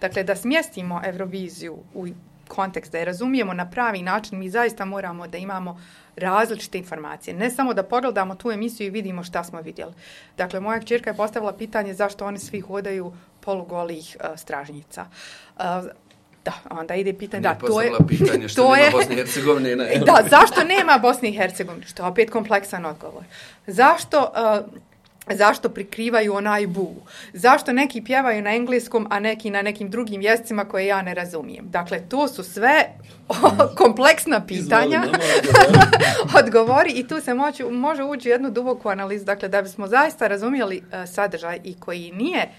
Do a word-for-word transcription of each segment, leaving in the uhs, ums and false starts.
Dakle, da smjestimo Euroviziju u kontekst, da je razumijemo na pravi način, mi zaista moramo da imamo različite informacije. Ne samo da pogledamo tu emisiju i vidimo šta smo vidjeli. Dakle, moja kćerka je postavila pitanje zašto oni svi hodaju polugolih uh, stražnjica. Uh, Da, onda ide pitanje, da, to je... pitanje što to nema je, Bosne i Hercegovine. Ne. Da, zašto nema Bosne i Hercegovine? Što je opet kompleksan odgovor. Zašto, uh, zašto prikrivaju onaj bu? Zašto neki pjevaju na engleskom, a neki na nekim drugim jezicima koje ja ne razumijem? Dakle, to su sve kompleksna pitanja. Odgovori i tu se moći, može ući u jednu duboku analizu. Dakle, da bismo zaista razumjeli uh, sadržaj i koji nije,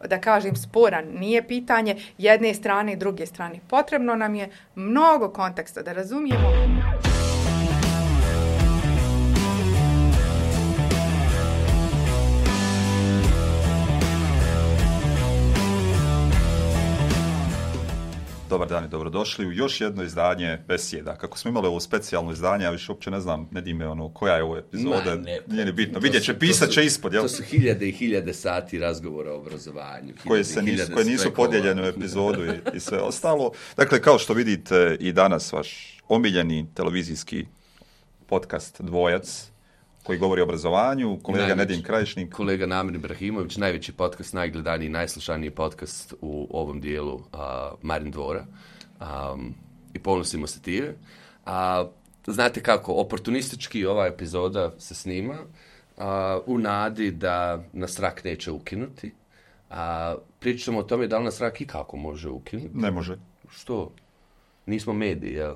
da kažem, sporan, nije pitanje jedne strane i druge strane. Potrebno nam je mnogo konteksta da razumijemo. Dobar dan i dobrodošli u još jedno izdanje Besjeda. Kako smo imali ovo specijalno izdanje, ja više uopće ne znam, ne dime ono, koja je ovo epizoda, ne, nije ni bitno. Vidjet će, pisat će ispod, jel? To su hiljade i hiljade sati razgovora o obrazovanju. Koje, se nisu, koje nisu podijeljene u epizodu i, i sve ostalo. Dakle, kao što vidite i danas vaš omiljeni televizijski podcast Dvojac, koji govori o obrazovanju, kolega najveći, Nedim Krajišnik. Kolega Namir Ibrahimović, najveći podcast, najgledaniji, najslušaniji podcast u ovom dijelu uh, Marin Dvora. Um, I ponosimo se time. Uh, znate kako, oportunistički ova epizoda se snima uh, u nadi da nas rak neće ukinuti. Uh, pričamo o tome da li nas rak i kako može ukinuti. Ne može. Što? Nismo mediji, jel?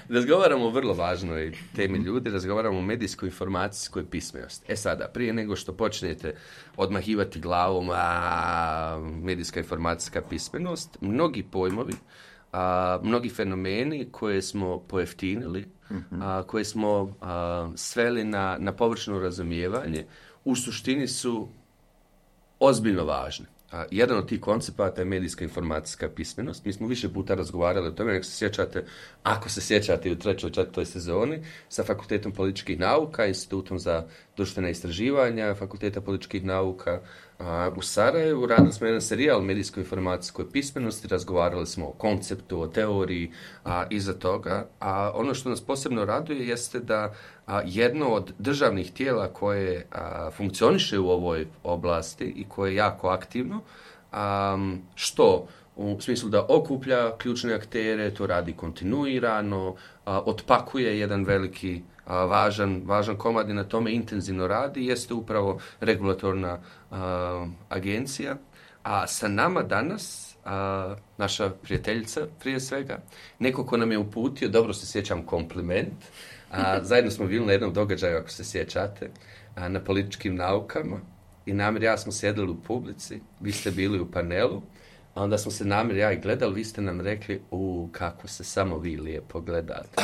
Razgovaramo o vrlo važnoj temi ljudi, razgovaramo o medijskoj informacijskoj pismenosti. E sada, prije nego što počnete odmahivati glavom, a medijska informacijska pismenost, mnogi pojmovi, a, mnogi fenomeni koje smo pojeftinili, a, koje smo a, sveli na, na površno razumijevanje, u suštini su ozbiljno važni. A, jedan od tih koncepata je medijska informacijska pismenost. Mi smo više puta razgovarali o tome, nek se sjećate, ako se sjećate u trećoj, četvrtoj sezoni, sa Fakultetom političkih nauka, Institutom za društvena istraživanja, Fakulteta političkih nauka a, u Sarajevu. Radili smo jedan serijal medijskoj informacijskoj pismenosti, razgovarali smo o konceptu, o teoriji a, iza toga. A ono što nas posebno raduje jeste da a, jedno od državnih tijela koje a, funkcioniše u ovoj oblasti i koje je jako aktivno, a, što u smislu da okuplja ključne aktere, to radi kontinuirano, a, otpakuje jedan veliki a, važan, važan komad i na tome intenzivno radi, jeste upravo regulatorna a, agencija. A sa nama danas, a, naša prijateljica prije svega, neko ko nam je uputio, dobro se sjećam, kompliment. A, zajedno smo bili na jednom događaju, ako se sjećate, a, na političkim naukama i Namir i ja smo sjedili u publici, vi ste bili u panelu, a onda smo se Namir i ja i gledali, vi ste nam rekli, u kako se samo vi lijepo gledate.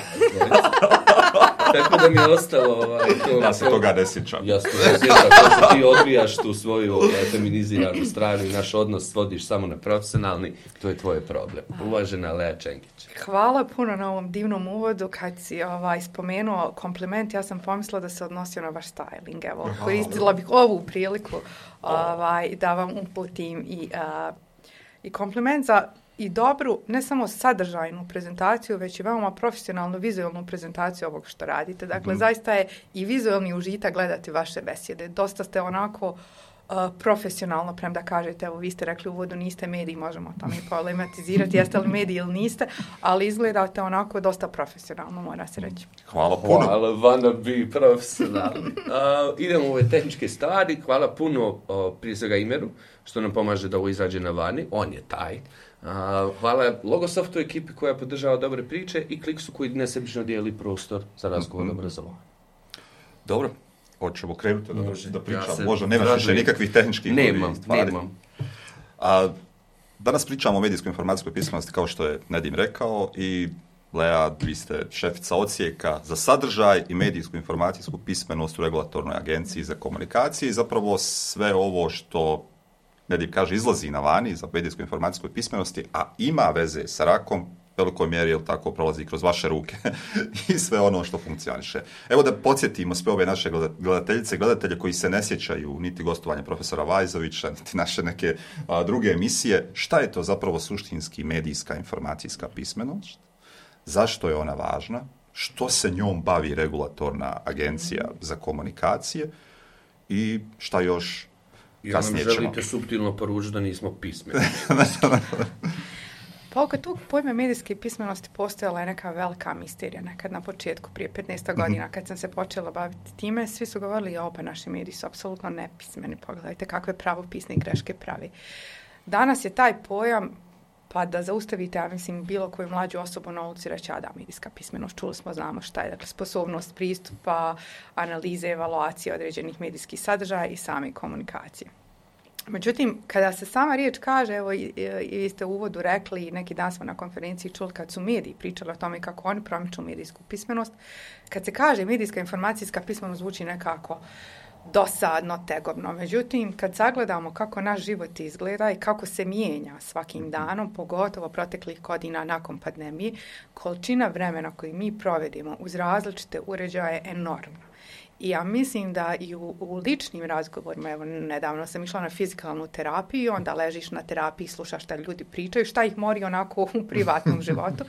Tako da mi je ostalo... Ovaj, to, ja se to, toga ne sjećam. Ja se toga ne sjećam, to se ti odbijaš tu svoju ovaj, feminiziranu stranu i naš odnos svodiš samo na profesionalni, to je tvoj problem. Uvažena Lea Čengić. Hvala puno na ovom divnom uvodu. Kad si ovaj, spomenuo kompliment, ja sam pomislila da se odnosio na vaš styling. Evo, koristila bih ovu priliku ovaj, da vam uputim i, uh, i kompliment za i dobru, ne samo sadržajnu prezentaciju, već i veoma profesionalnu, vizualnu prezentaciju ovog što radite. Dakle, mm. zaista je i vizualni užitak gledati vaše besjede. Dosta ste onako uh, profesionalno, premda kažete, evo vi ste rekli u uvodu, niste mediji, možemo o tome problematizirati, jeste li mediji ili niste, ali izgledate onako dosta profesionalno, mora se reći. Hvala puno. Hvala, wanna be profesionalni. Uh, idemo u ove tehničke stvari. Hvala puno uh, prije svega Imeru, što nam pomaže da ovo izađe na vani. On je taj. Uh, hvala Logosoftu ekipi koja podržava dobre priče i Kliksu koji nesebično dijeli prostor za razgovor mm-hmm. obrazovanja. Dobro, hoćemo krenuti da, da pričamo. Ja možda nemaš više nikakvih tehničkih nemam, stvari. Nemam. A, danas pričamo o medijskoj informacijskoj pismenosti kao što je Nedim rekao i Lea, vi ste šefica odsjeka za sadržaj i medijsku informacijsku pismenost u regulatornoj agenciji za komunikacije i zapravo sve ovo što Nedim kaže izlazi na vani za medijsku informacijsku pismenosti, a ima veze sa rakom, velikoj mjeri, jel tako, prolazi kroz vaše ruke i sve ono što funkcioniše. Evo da podsjetimo sve ove naše gledateljice i gledatelje koji se ne sjećaju niti gostovanja profesora Vajzovića, niti naše neke a, druge emisije, šta je to zapravo suštinski medijska informacijska pismenost, zašto je ona važna, što se njom bavi regulatorna agencija za komunikacije i šta još kasnije ćemo. Jer nam želite suptilno poručiti da nismo pismeni. Pa oko tog pojma medijske pismenosti postojala je neka velika misterija nekad na početku, prije petnaest godina, kad sam se počela baviti time, svi su govorili, ja, opa, naši mediji su apsolutno nepismeni, pogledajte kakve pravopisne greške pravi. Danas je taj pojam, pa da zaustavite, ja mislim, bilo koju mlađu osobu na ulici reći, a da, medijska pismenost, čuli smo, znamo šta je, dakle, sposobnost pristupa, analize, evaluacije određenih medijskih sadržaja i same komunikacije. Međutim, kada se sama riječ kaže, evo i, i vi ste u uvodu rekli, i neki dan smo na konferenciji čuli kad su mediji pričali o tome kako oni promiču medijsku pismenost, kad se kaže medijska informacijska pismenost zvuči nekako dosadno, tegobno. Međutim, kad sagledamo kako naš život izgleda i kako se mijenja svakim danom, pogotovo proteklih godina nakon pandemije, količina vremena koju mi provedimo uz različite uređaje je enormna. I ja mislim da i u, u ličnim razgovorima, evo nedavno sam išla na fizikalnu terapiju, onda ležiš na terapiji, slušaš šta ljudi pričaju, šta ih mori onako u privatnom životu.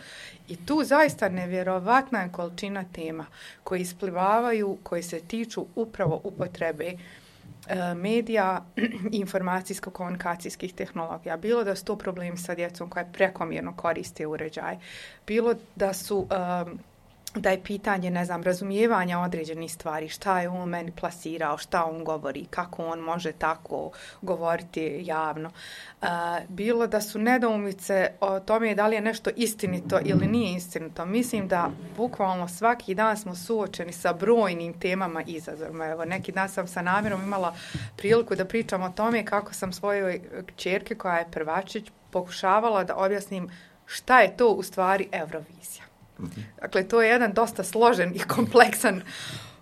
I tu zaista nevjerovatna je količina tema koji isplivavaju, koji se tiču upravo upotrebe e, medija i informacijsko-komunikacijskih tehnologija. Bilo da su to problemi sa djecom koja prekomjerno koriste uređaje, bilo da su... E, da je pitanje, ne znam, razumijevanja određenih stvari, šta je on meni plasirao, šta on govori, kako on može tako govoriti javno. Uh, bilo da su nedoumice o tome da li je nešto istinito ili nije istinito. Mislim da bukvalno svaki dan smo suočeni sa brojnim temama i izazovima. Evo, neki dan sam sa namjerom imala priliku da pričam o tome kako sam svojoj kćerki, koja je prvačić, pokušavala da objasnim šta je to u stvari Eurovizija. Dakle, to je jedan dosta složen i kompleksan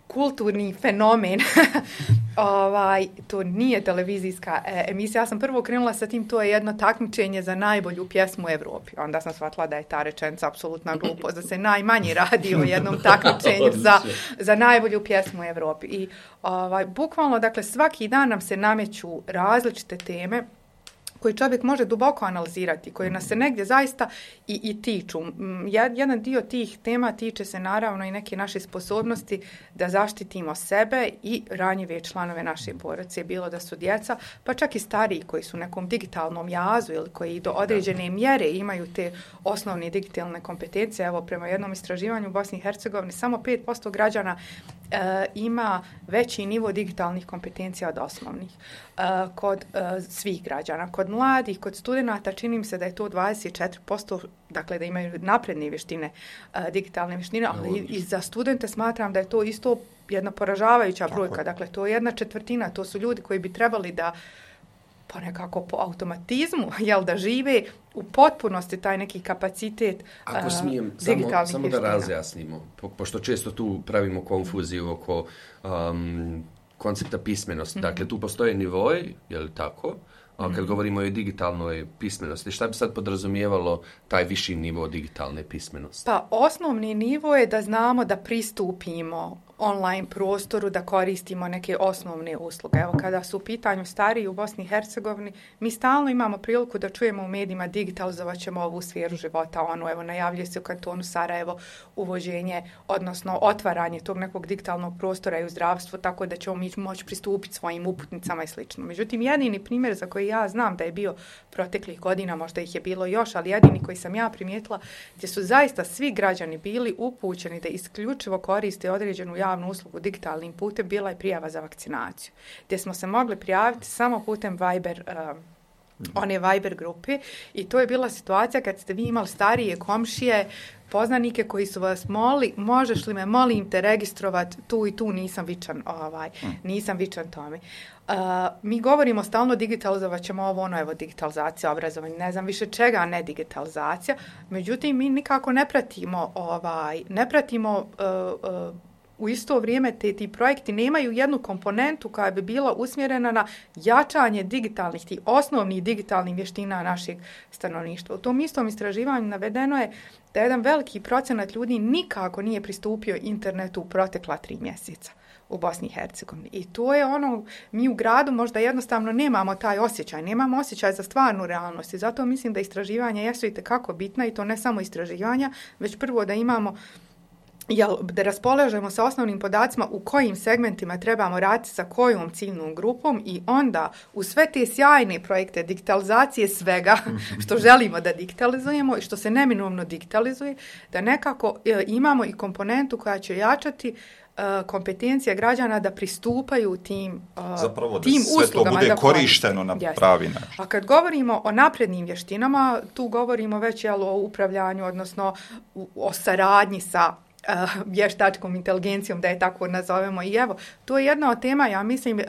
kulturni fenomen. ovaj, to nije televizijska e, emisija. Ja sam prvo krenula sa tim, to je jedno takmičenje za najbolju pjesmu u Evropi. Onda sam shvatila da je ta rečenica apsolutna glupost, da se najmanje radi o jednom takmičenju za, za najbolju pjesmu u Evropi. I ovaj, bukvalno, dakle, svaki dan nam se nameću različite teme koji čovjek može duboko analizirati, koji nas se negdje zaista i, i tiču. Jedan dio tih tema tiče se naravno i neke naše sposobnosti da zaštitimo sebe i ranjive članove naše porodice, bilo da su djeca, pa čak i stariji koji su u nekom digitalnom jazu ili koji do određene mjere imaju te osnovne digitalne kompetencije. Evo, prema jednom istraživanju u Bosni i Hercegovini samo pet posto građana e, ima veći nivo digitalnih kompetencija od osnovnih. E, kod e, svih građana, kod mladih, kod studenata čini mi se da je to dvadeset četiri posto, dakle da imaju napredne vještine, uh, digitalne vještine, ali i, i za studente smatram da je to isto jedna poražavajuća brojka. Dakle, to je jedna četvrtina, to su ljudi koji bi trebali da pa nekako po automatizmu, jel, da žive u potpunosti taj neki kapacitet Ako uh, smijem, digitalnih samo, samo vještina. da razjasnimo, po, pošto često tu pravimo konfuziju oko um, koncepta pismenosti. Mm-hmm. Dakle, tu postoje nivoi, je li tako? A kad govorimo o digitalnoj pismenosti, šta bi sad podrazumijevalo taj viši nivo digitalne pismenosti? Pa osnovni nivo je da znamo da pristupimo online prostoru, da koristimo neke osnovne usluge. Evo, kada su u pitanju stariji u Bosni i Hercegovini, mi stalno imamo priliku da čujemo u medijima digitalizovat ćemo ovu sferu života. Ono, evo, najavljuje se u kantonu Sarajevo uvođenje, odnosno otvaranje tog nekog digitalnog prostora i u zdravstvu, tako da ćemo mi moći pristupiti svojim uputnicama i slično. Međutim, jedini primjer za koji ja znam da je bio proteklih godina, možda ih je bilo još, ali jedini koji sam ja primijetila, gdje su zaista svi građani bili upućeni da isključivo koriste određenu javnu uslugu digitalnim putem, bila je prijava za vakcinaciju, gdje smo se mogli prijaviti samo putem Viber, um, one Viber grupe, i to je bila situacija kad ste vi imali starije komšije, poznanike koji su vas molili, možeš li me, molim te, registrovati tu i tu, nisam vičan, ovaj, nisam vičan tome. Uh, mi govorimo stalno digitalizovat ćemo ovo, ono, evo, digitalizacija, obrazovanje, ne znam više čega, ne digitalizacija, međutim, mi nikako ne pratimo, ovaj, ne pratimo uh, uh, u isto vrijeme te, ti projekti nemaju jednu komponentu koja bi bila usmjerena na jačanje digitalnih, tih osnovnih digitalnih vještina našeg stanovništva. U tom istom istraživanju navedeno je da jedan veliki procenat ljudi nikako nije pristupio internetu u protekla tri mjeseca u Bosni i Hercegovini. I to je ono, mi u gradu možda jednostavno nemamo taj osjećaj, nemamo osjećaj za stvarnu realnost i zato mislim da istraživanja jesu i tekako bitna i to ne samo istraživanja, već prvo da imamo jel, da raspolažemo sa osnovnim podacima u kojim segmentima trebamo raditi sa kojom ciljnom grupom i onda u sve te sjajne projekte digitalizacije svega što želimo da digitalizujemo i što se neminovno digitalizuje, da nekako e, imamo i komponentu koja će jačati kompetencija građana da pristupaju tim, Zapravo, tim da sve to bude korišteno na Jasne. pravi način. A kad govorimo o naprednim vještinama, tu govorimo već jel, o upravljanju, odnosno o saradnji sa uh, vještačkom inteligencijom, da je tako nazovemo. I evo, to je jedna od tema, ja mislim, uh,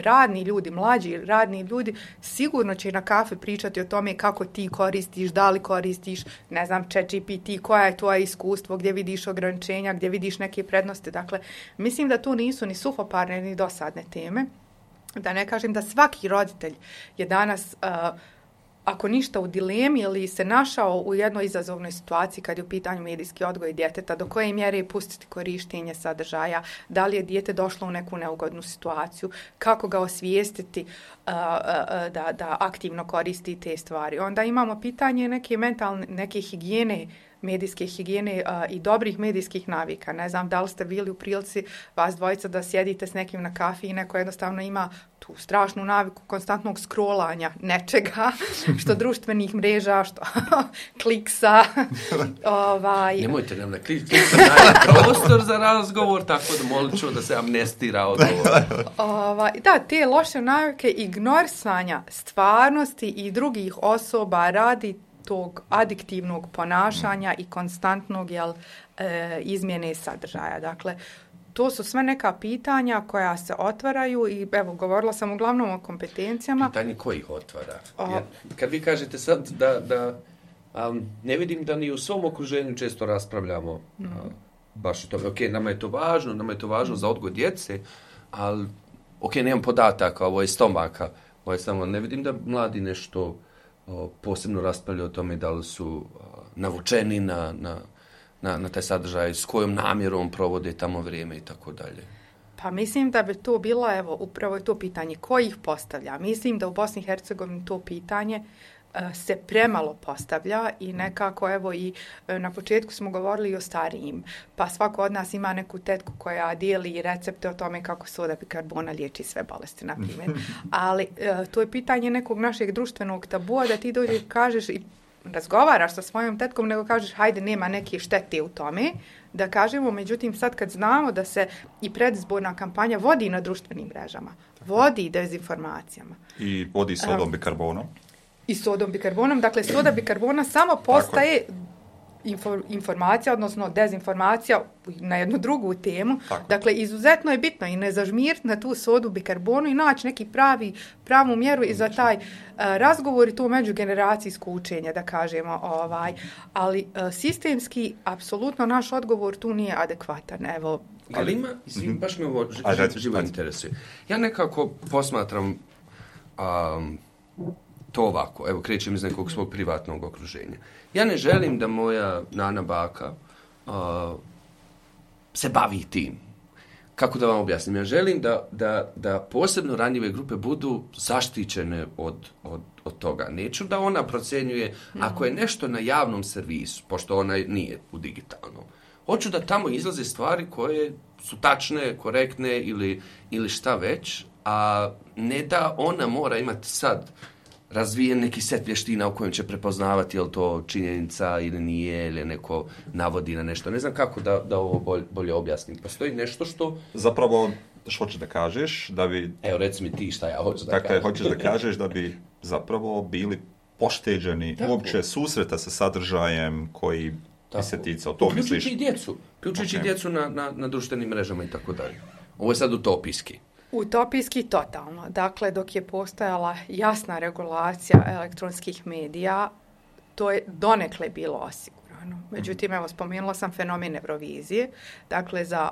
radni ljudi, mlađi radni ljudi sigurno će na kafe pričati o tome kako ti koristiš, da li koristiš, ne znam, ChatGPT, koja je tvoje iskustvo, gdje vidiš ograničenja, gdje vidiš neke prednosti. Dakle, mislim da tu nisu ni suhoparne, ni dosadne teme. Da ne kažem da svaki roditelj je danas... Uh, ako ništa u dilemi ili se našao u jednoj izazovnoj situaciji kad je u pitanju medijski odgoj djeteta, do koje mjere pustiti korištenje sadržaja, da li je dijete došlo u neku neugodnu situaciju, kako ga osvijestiti uh, uh, da, da aktivno koristi te stvari. Onda imamo pitanje neke mentalne, neke higijene, medijske higijene uh, i dobrih medijskih navika. Ne znam da li ste bili u prilici vas dvojica da sjedite s nekim na kafi i neko jednostavno ima tu strašnu naviku konstantnog scrollanja nečega, što društvenih mreža, što kliksa. ovaj. Nemojte nam na klik, kliksa daje prostor za razgovor, tako da molit ću da se amnestira odgovor. ovaj, da, te loše navike ignorisanja stvarnosti i drugih osoba radi tog adiktivnog ponašanja i konstantnog jel, e, izmjene sadržaja. Dakle, to su sve neka pitanja koja se otvaraju i evo, govorila sam uglavnom o kompetencijama. Pitanje koji ih otvara? Jer, kad vi kažete sad da, da um, ne vidim da ni u svom okruženju često raspravljamo mm. uh, baš o tome. Ok, nama je to važno, nama je to važno mm. za odgoj djece, ali ok, nemam podataka, ovo je stomaka, ovo je samo, ne vidim da mladi nešto uh, posebno raspravljaju o tome da li su uh, navučeni na, na Na, na taj sadržaj, s kojom namjerom provode tamo vrijeme i tako dalje. Pa mislim da bi to bilo, evo, upravo je to pitanje ko ih postavlja. Mislim da u Bosni i Hercegovini to pitanje uh, se premalo postavlja i nekako, evo, i uh, na početku smo govorili o starijim, pa svako od nas ima neku tetku koja dijeli recepte o tome kako soda bikarbona liječi sve bolesti, na primjer. Ali uh, to je pitanje nekog našeg društvenog tabua da ti dođeš i kažeš i razgovaraš sa svojom tetkom, nego kažeš hajde, nema neke štete u tome, da kažemo, međutim sad kad znamo da se i predizborna kampanja vodi na društvenim mrežama, vodi dezinformacijama. I vodi sodom bikarbonom. I sodom bikarbonom, dakle soda bikarbona samo postaje Infor, informacija, odnosno dezinformacija na jednu drugu temu. Tako. Dakle, izuzetno je bitno i ne zažmiriti na tu sodu bikarbonu i naći neki pravi, pravu mjeru i za taj uh, razgovor i to međugeneracijsko učenje, da kažemo. Ovaj. Ali uh, sistemski, apsolutno naš odgovor tu nije adekvatan. Evo, ali ima, izvim, baš me ovo ž, ž, živo interesuje. Ja nekako posmatram um, to ovako, evo krećem iz nekog svog privatnog okruženja. Ja ne želim da moja nana baka uh, se bavi tim. Kako da vam objasnim? Ja želim da, da, da posebno ranjive grupe budu zaštićene od, od, od toga. Neću da ona procjenjuje mm. ako je nešto na javnom servisu, pošto ona nije u digitalnom. Hoću da tamo izlaze stvari koje su tačne, korektne ili, ili šta već, a ne da ona mora imati sad razvijen neki set vještina u kojem će prepoznavati je li to činjenica ili nije, ili neko navodi na nešto. Ne znam kako da, da ovo bolje, bolje objasnim. Postoji nešto što... Zapravo, što hoćeš da kažeš, da bi... Evo, reci mi ti šta ja hoću da dakle, kažem. Hoćeš da kažeš da bi zapravo bili pošteđeni tako. Uopće susreta sa sadržajem koji bi se ticao. To misliš? Uključujući i djecu. Uključujući okay. djecu na, na, na društvenim mrežama i tako dalje. Ovo je sad utopijski. Utopijski totalno. Dakle, dok je postojala jasna regulacija elektronskih medija, to je donekle bilo osigurano. Međutim, evo, spomenula sam fenomen Eurovizije. Dakle, za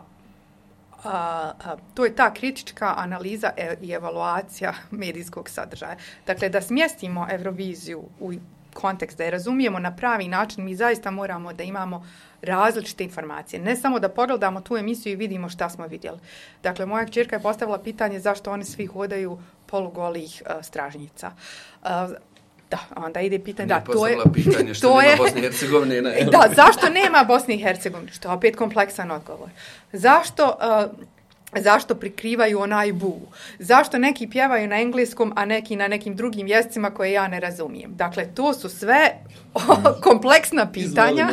A, a, to je ta kritička analiza e, i evaluacija medijskog sadržaja. Dakle, da smjestimo Euroviziju u kontekst, da je razumijemo na pravi način, mi zaista moramo da imamo različite informacije. Ne samo da pogledamo tu emisiju i vidimo šta smo vidjeli. Dakle, moja kćerka je postavila pitanje zašto oni svi hodaju polugolih uh, stražnjica. Uh, Da, onda ide pitanje, da, to je... pitanje što to nema je, Bosne i Hercegovine. Na... Da, zašto nema Bosne i Hercegovine? Što je opet kompleksan odgovor. Zašto... Uh, Zašto prikrivaju onaj bu? Zašto neki pjevaju na engleskom, a neki na nekim drugim jezicima koje ja ne razumijem? Dakle, to su sve kompleksna pitanja.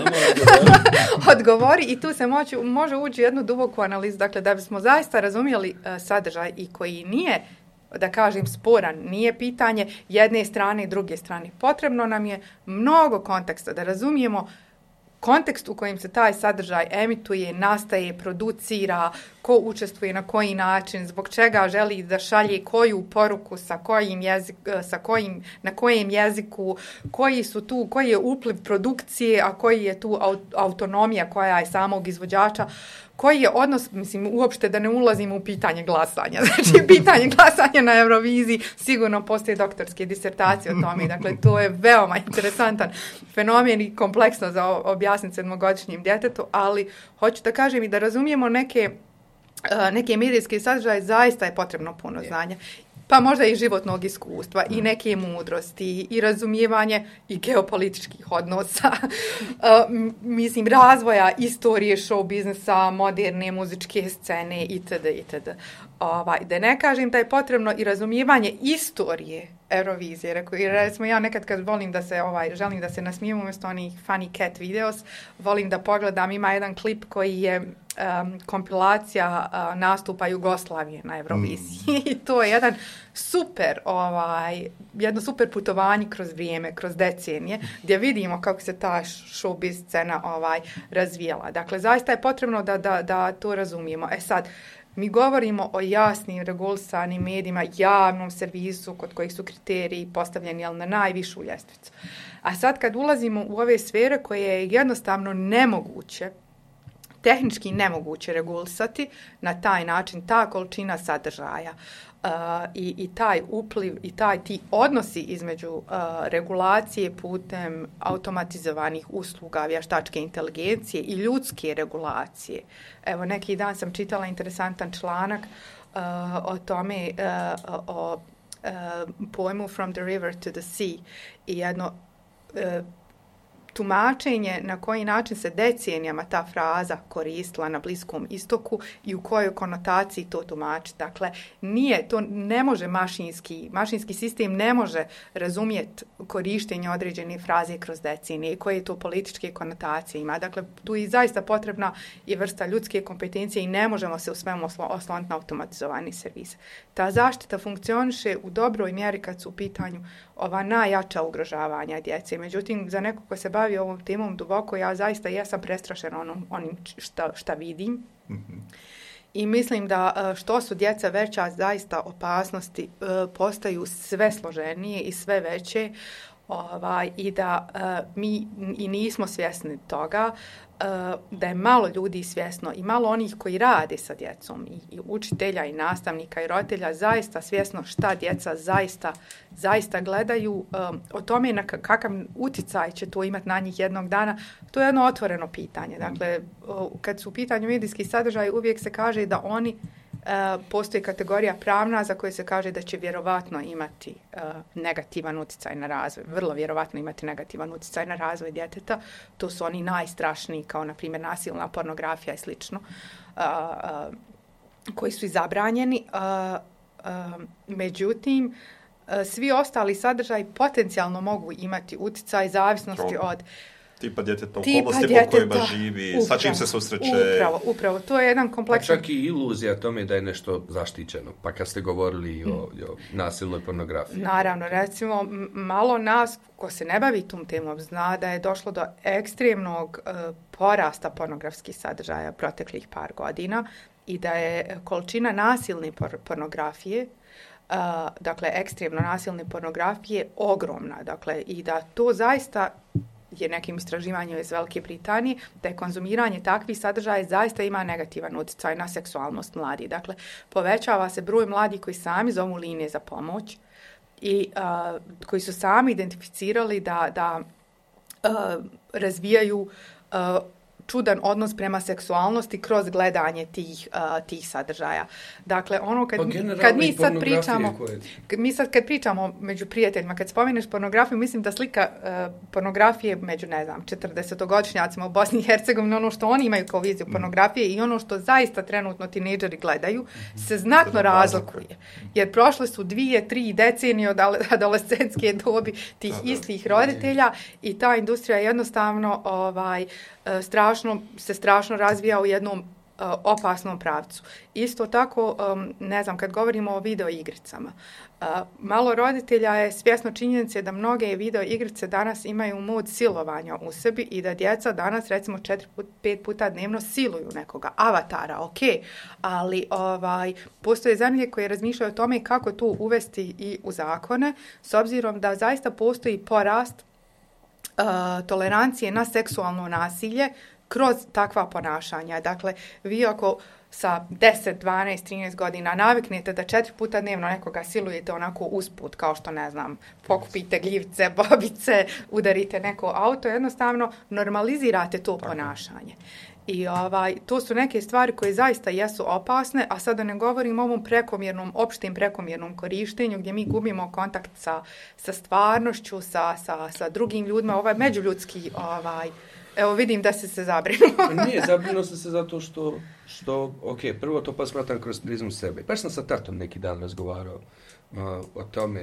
Odgovori i tu se moći, može ući jednu duboku analizu. Dakle, da bismo zaista razumjeli uh, sadržaj i koji nije, da kažem, sporan, nije pitanje jedne strane i druge strane. Potrebno nam je mnogo konteksta da razumijemo kontekst u kojem se taj sadržaj emituje, nastaje, producira, ko učestvuje na koji način, zbog čega želi da šalje koju poruku, sa kojim jezik, sa kojim, na kojem jeziku, koji su tu, koji je upliv produkcije, a koji je tu autonomija koja je samog izvođača, koji je odnos, mislim, uopšte da ne ulazimo u pitanje glasanja. Znači, pitanje glasanja na Euroviziji, sigurno postoje doktorske disertacije o tome. Dakle, to je veoma interesantan fenomen i kompleksno za objasniti sedmogodišnjim djetetu, ali hoću da kažem i da razumijemo neke, neke medijske sadržaje, zaista je potrebno puno znanja. Pa možda i životnog iskustva, i neke mudrosti, i razumijevanje i geopolitičkih odnosa, uh, mislim, razvoja istorije show biznesa, moderne muzičke scene itd. itd. Ovaj, da ne kažem da je potrebno i razumijevanje istorije Eurovizije. Rekao, jer recimo ja nekad kad volim da se, ovaj, želim da se nasmijem umjesto onih funny cat videos, volim da pogledam, ima jedan klip koji je um, kompilacija uh, nastupa Jugoslavije na Euroviziji. I mm. to je jedan super, ovaj, jedno super putovanje kroz vrijeme, kroz decenije, gdje vidimo kako se ta showbiz scena ovaj, razvijala. Dakle, zaista je potrebno da, da, da to razumijemo. E sad, mi govorimo o jasnim, regulisanim medijima, javnom servisu kod kojih su kriteriji postavljeni ali na najvišu ljestvicu. A sad kad ulazimo u ove sfere koje je jednostavno nemoguće, tehnički nemoguće regulisati na taj način, ta količina sadržaja uh, i, i taj upliv i taj ti odnosi između uh, regulacije putem automatizovanih usluga, vještačke inteligencije i ljudske regulacije. Evo, neki dan sam čitala interesantan članak uh, o tome, uh, o uh, pojmu from the river to the sea i jedno uh, tumačenje na koji način se decenijama ta fraza koristila na Bliskom istoku i u kojoj konotaciji to tumači. Dakle, nije, to ne može mašinski, mašinski sistem ne može razumjeti korištenje određene fraze kroz decenije i koje to političke konotacije ima. Dakle, tu je zaista potrebna i vrsta ljudske kompetencije i ne možemo se u svemu osloniti na automatizovani servis. Ta zaštita funkcioniše u dobroj mjeri kad su u pitanju ova najjača ugrožavanja djece. Međutim, za neko ko se bavi ovom temom duboko, ja zaista jesam prestrašena onom, onim šta, šta vidim. Mm-hmm. I mislim da što su djeca veća, zaista opasnosti postaju sve složenije i sve veće. Ovaj, i da uh, mi i nismo svjesni toga, uh, da je malo ljudi svjesno i malo onih koji rade sa djecom i, i učitelja i nastavnika i roditelja zaista svjesno šta djeca zaista, zaista gledaju, um, o tome na kakav utjecaj će to imati na njih jednog dana. To je jedno otvoreno pitanje. Dakle, uh, kad su u pitanju medijski sadržaj, uvijek se kaže da oni Uh, postoji kategorija pravna za koju se kaže da će vjerovatno imati uh, negativan utjecaj na razvoj, vrlo vjerovatno imati negativan utjecaj na razvoj djeteta. To su oni najstrašniji, kao na primjer nasilna pornografija i slično, uh, uh, koji su i zabranjeni. Uh, uh, međutim, uh, svi ostali sadržaji potencijalno mogu imati utjecaj zavisnosti od tipa djeteta, okolnosti po kojima živi, upravo, sa čim se susreće. Upravo, upravo. To je jedan kompleksan... Pa čak i iluzija tome da je nešto zaštićeno. Pa kad ste govorili o, o nasilnoj pornografiji. Naravno, recimo, malo nas, ko se ne bavi tom temom, zna da je došlo do ekstremnog uh, porasta pornografskih sadržaja proteklih par godina i da je količina nasilne por- pornografije Uh, dakle, ekstremno nasilne pornografije ogromna. Dakle, i da to zaista je nekim istraživanjem iz Velike Britanije, da je konzumiranje takvih sadržaja zaista ima negativan utjecaj na seksualnost mladih. Dakle, povećava se broj mladih koji sami zovu linije za pomoć i uh, koji su sami identificirali da, da uh, razvijaju uh, čudan odnos prema seksualnosti kroz gledanje tih, uh, tih sadržaja. Dakle, ono kad, pa kad mi sad pričamo, kad mi sad kad pričamo među prijateljima, kad spomeneš pornografiju, mislim da slika uh, pornografije među, ne znam, četrdesetogodišnjacima u Bosni i Hercegovini, ono što oni imaju kao viziju pornografije i ono što zaista trenutno tinejdžeri gledaju, se znatno razlikuje. Jer prošle su dvije, tri decenije od adolescentske dobi tih istih roditelja i ta industrija jednostavno ovaj, strašno, se strašno razvija u jednom uh, opasnom pravcu. Isto tako, um, ne znam, kad govorimo o video igricama, uh, malo roditelja je svjesno činjenice da mnoge video igrice danas imaju mod silovanja u sebi i da djeca danas, recimo, četiri, pet puta dnevno siluju nekoga, avatara, ok, ali ovaj, postoje zemlje koje razmišljaju o tome kako to uvesti i u zakone, s obzirom da zaista postoji porast Uh, tolerancije na seksualno nasilje kroz takva ponašanja. Dakle, vi ako sa deset, dvanaest, trinaest godina naviknete da četiri puta dnevno nekoga silujete onako usput, kao što, ne znam, pokupite gljivice, bobice, udarite neko auto, jednostavno normalizirate to ponašanje. I ovaj, to su neke stvari koje zaista jesu opasne, a sada ne govorim o ovom prekomjernom, opštim prekomjernom korištenju gdje mi gubimo kontakt sa, sa stvarnošću, sa, sa, sa drugim ljudima, ovaj međuljudski, ovaj, evo vidim da si se zabrinuo. Nije, zabrinuo sam se zato što, što ok, prvo to pa smatram kroz prizmu sebe. Baš sam sa tatom neki dan razgovarao uh, o tome.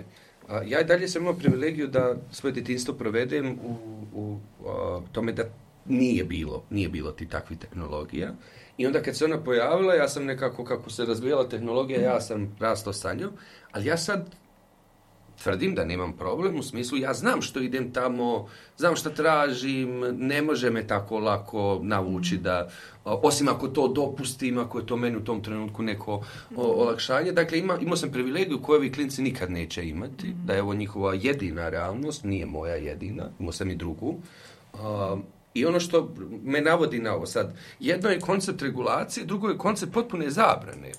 Uh, ja i dalje sam imao privilegiju da svoje djetinjstvo provedem u, u uh, tome da Nije bilo, nije bilo ti takvih tehnologija. I onda kad se ona pojavila, ja sam nekako, kako se razvijala tehnologija, ja sam rastao sa njom, ali ja sad tvrdim da nemam problem, u smislu ja znam što idem tamo, znam što tražim, ne može me tako lako navući da, osim ako to dopustim, ako je to meni u tom trenutku neko o, olakšanje. Dakle, ima, imao sam privilegiju koju ovi klinci nikad neće imati, da je ovo njihova jedina realnost, nije moja jedina, imao sam i drugu. Um, I ono što me navodi na ovo sad, jedno je koncept regulacije, drugo je koncept potpune zabrane,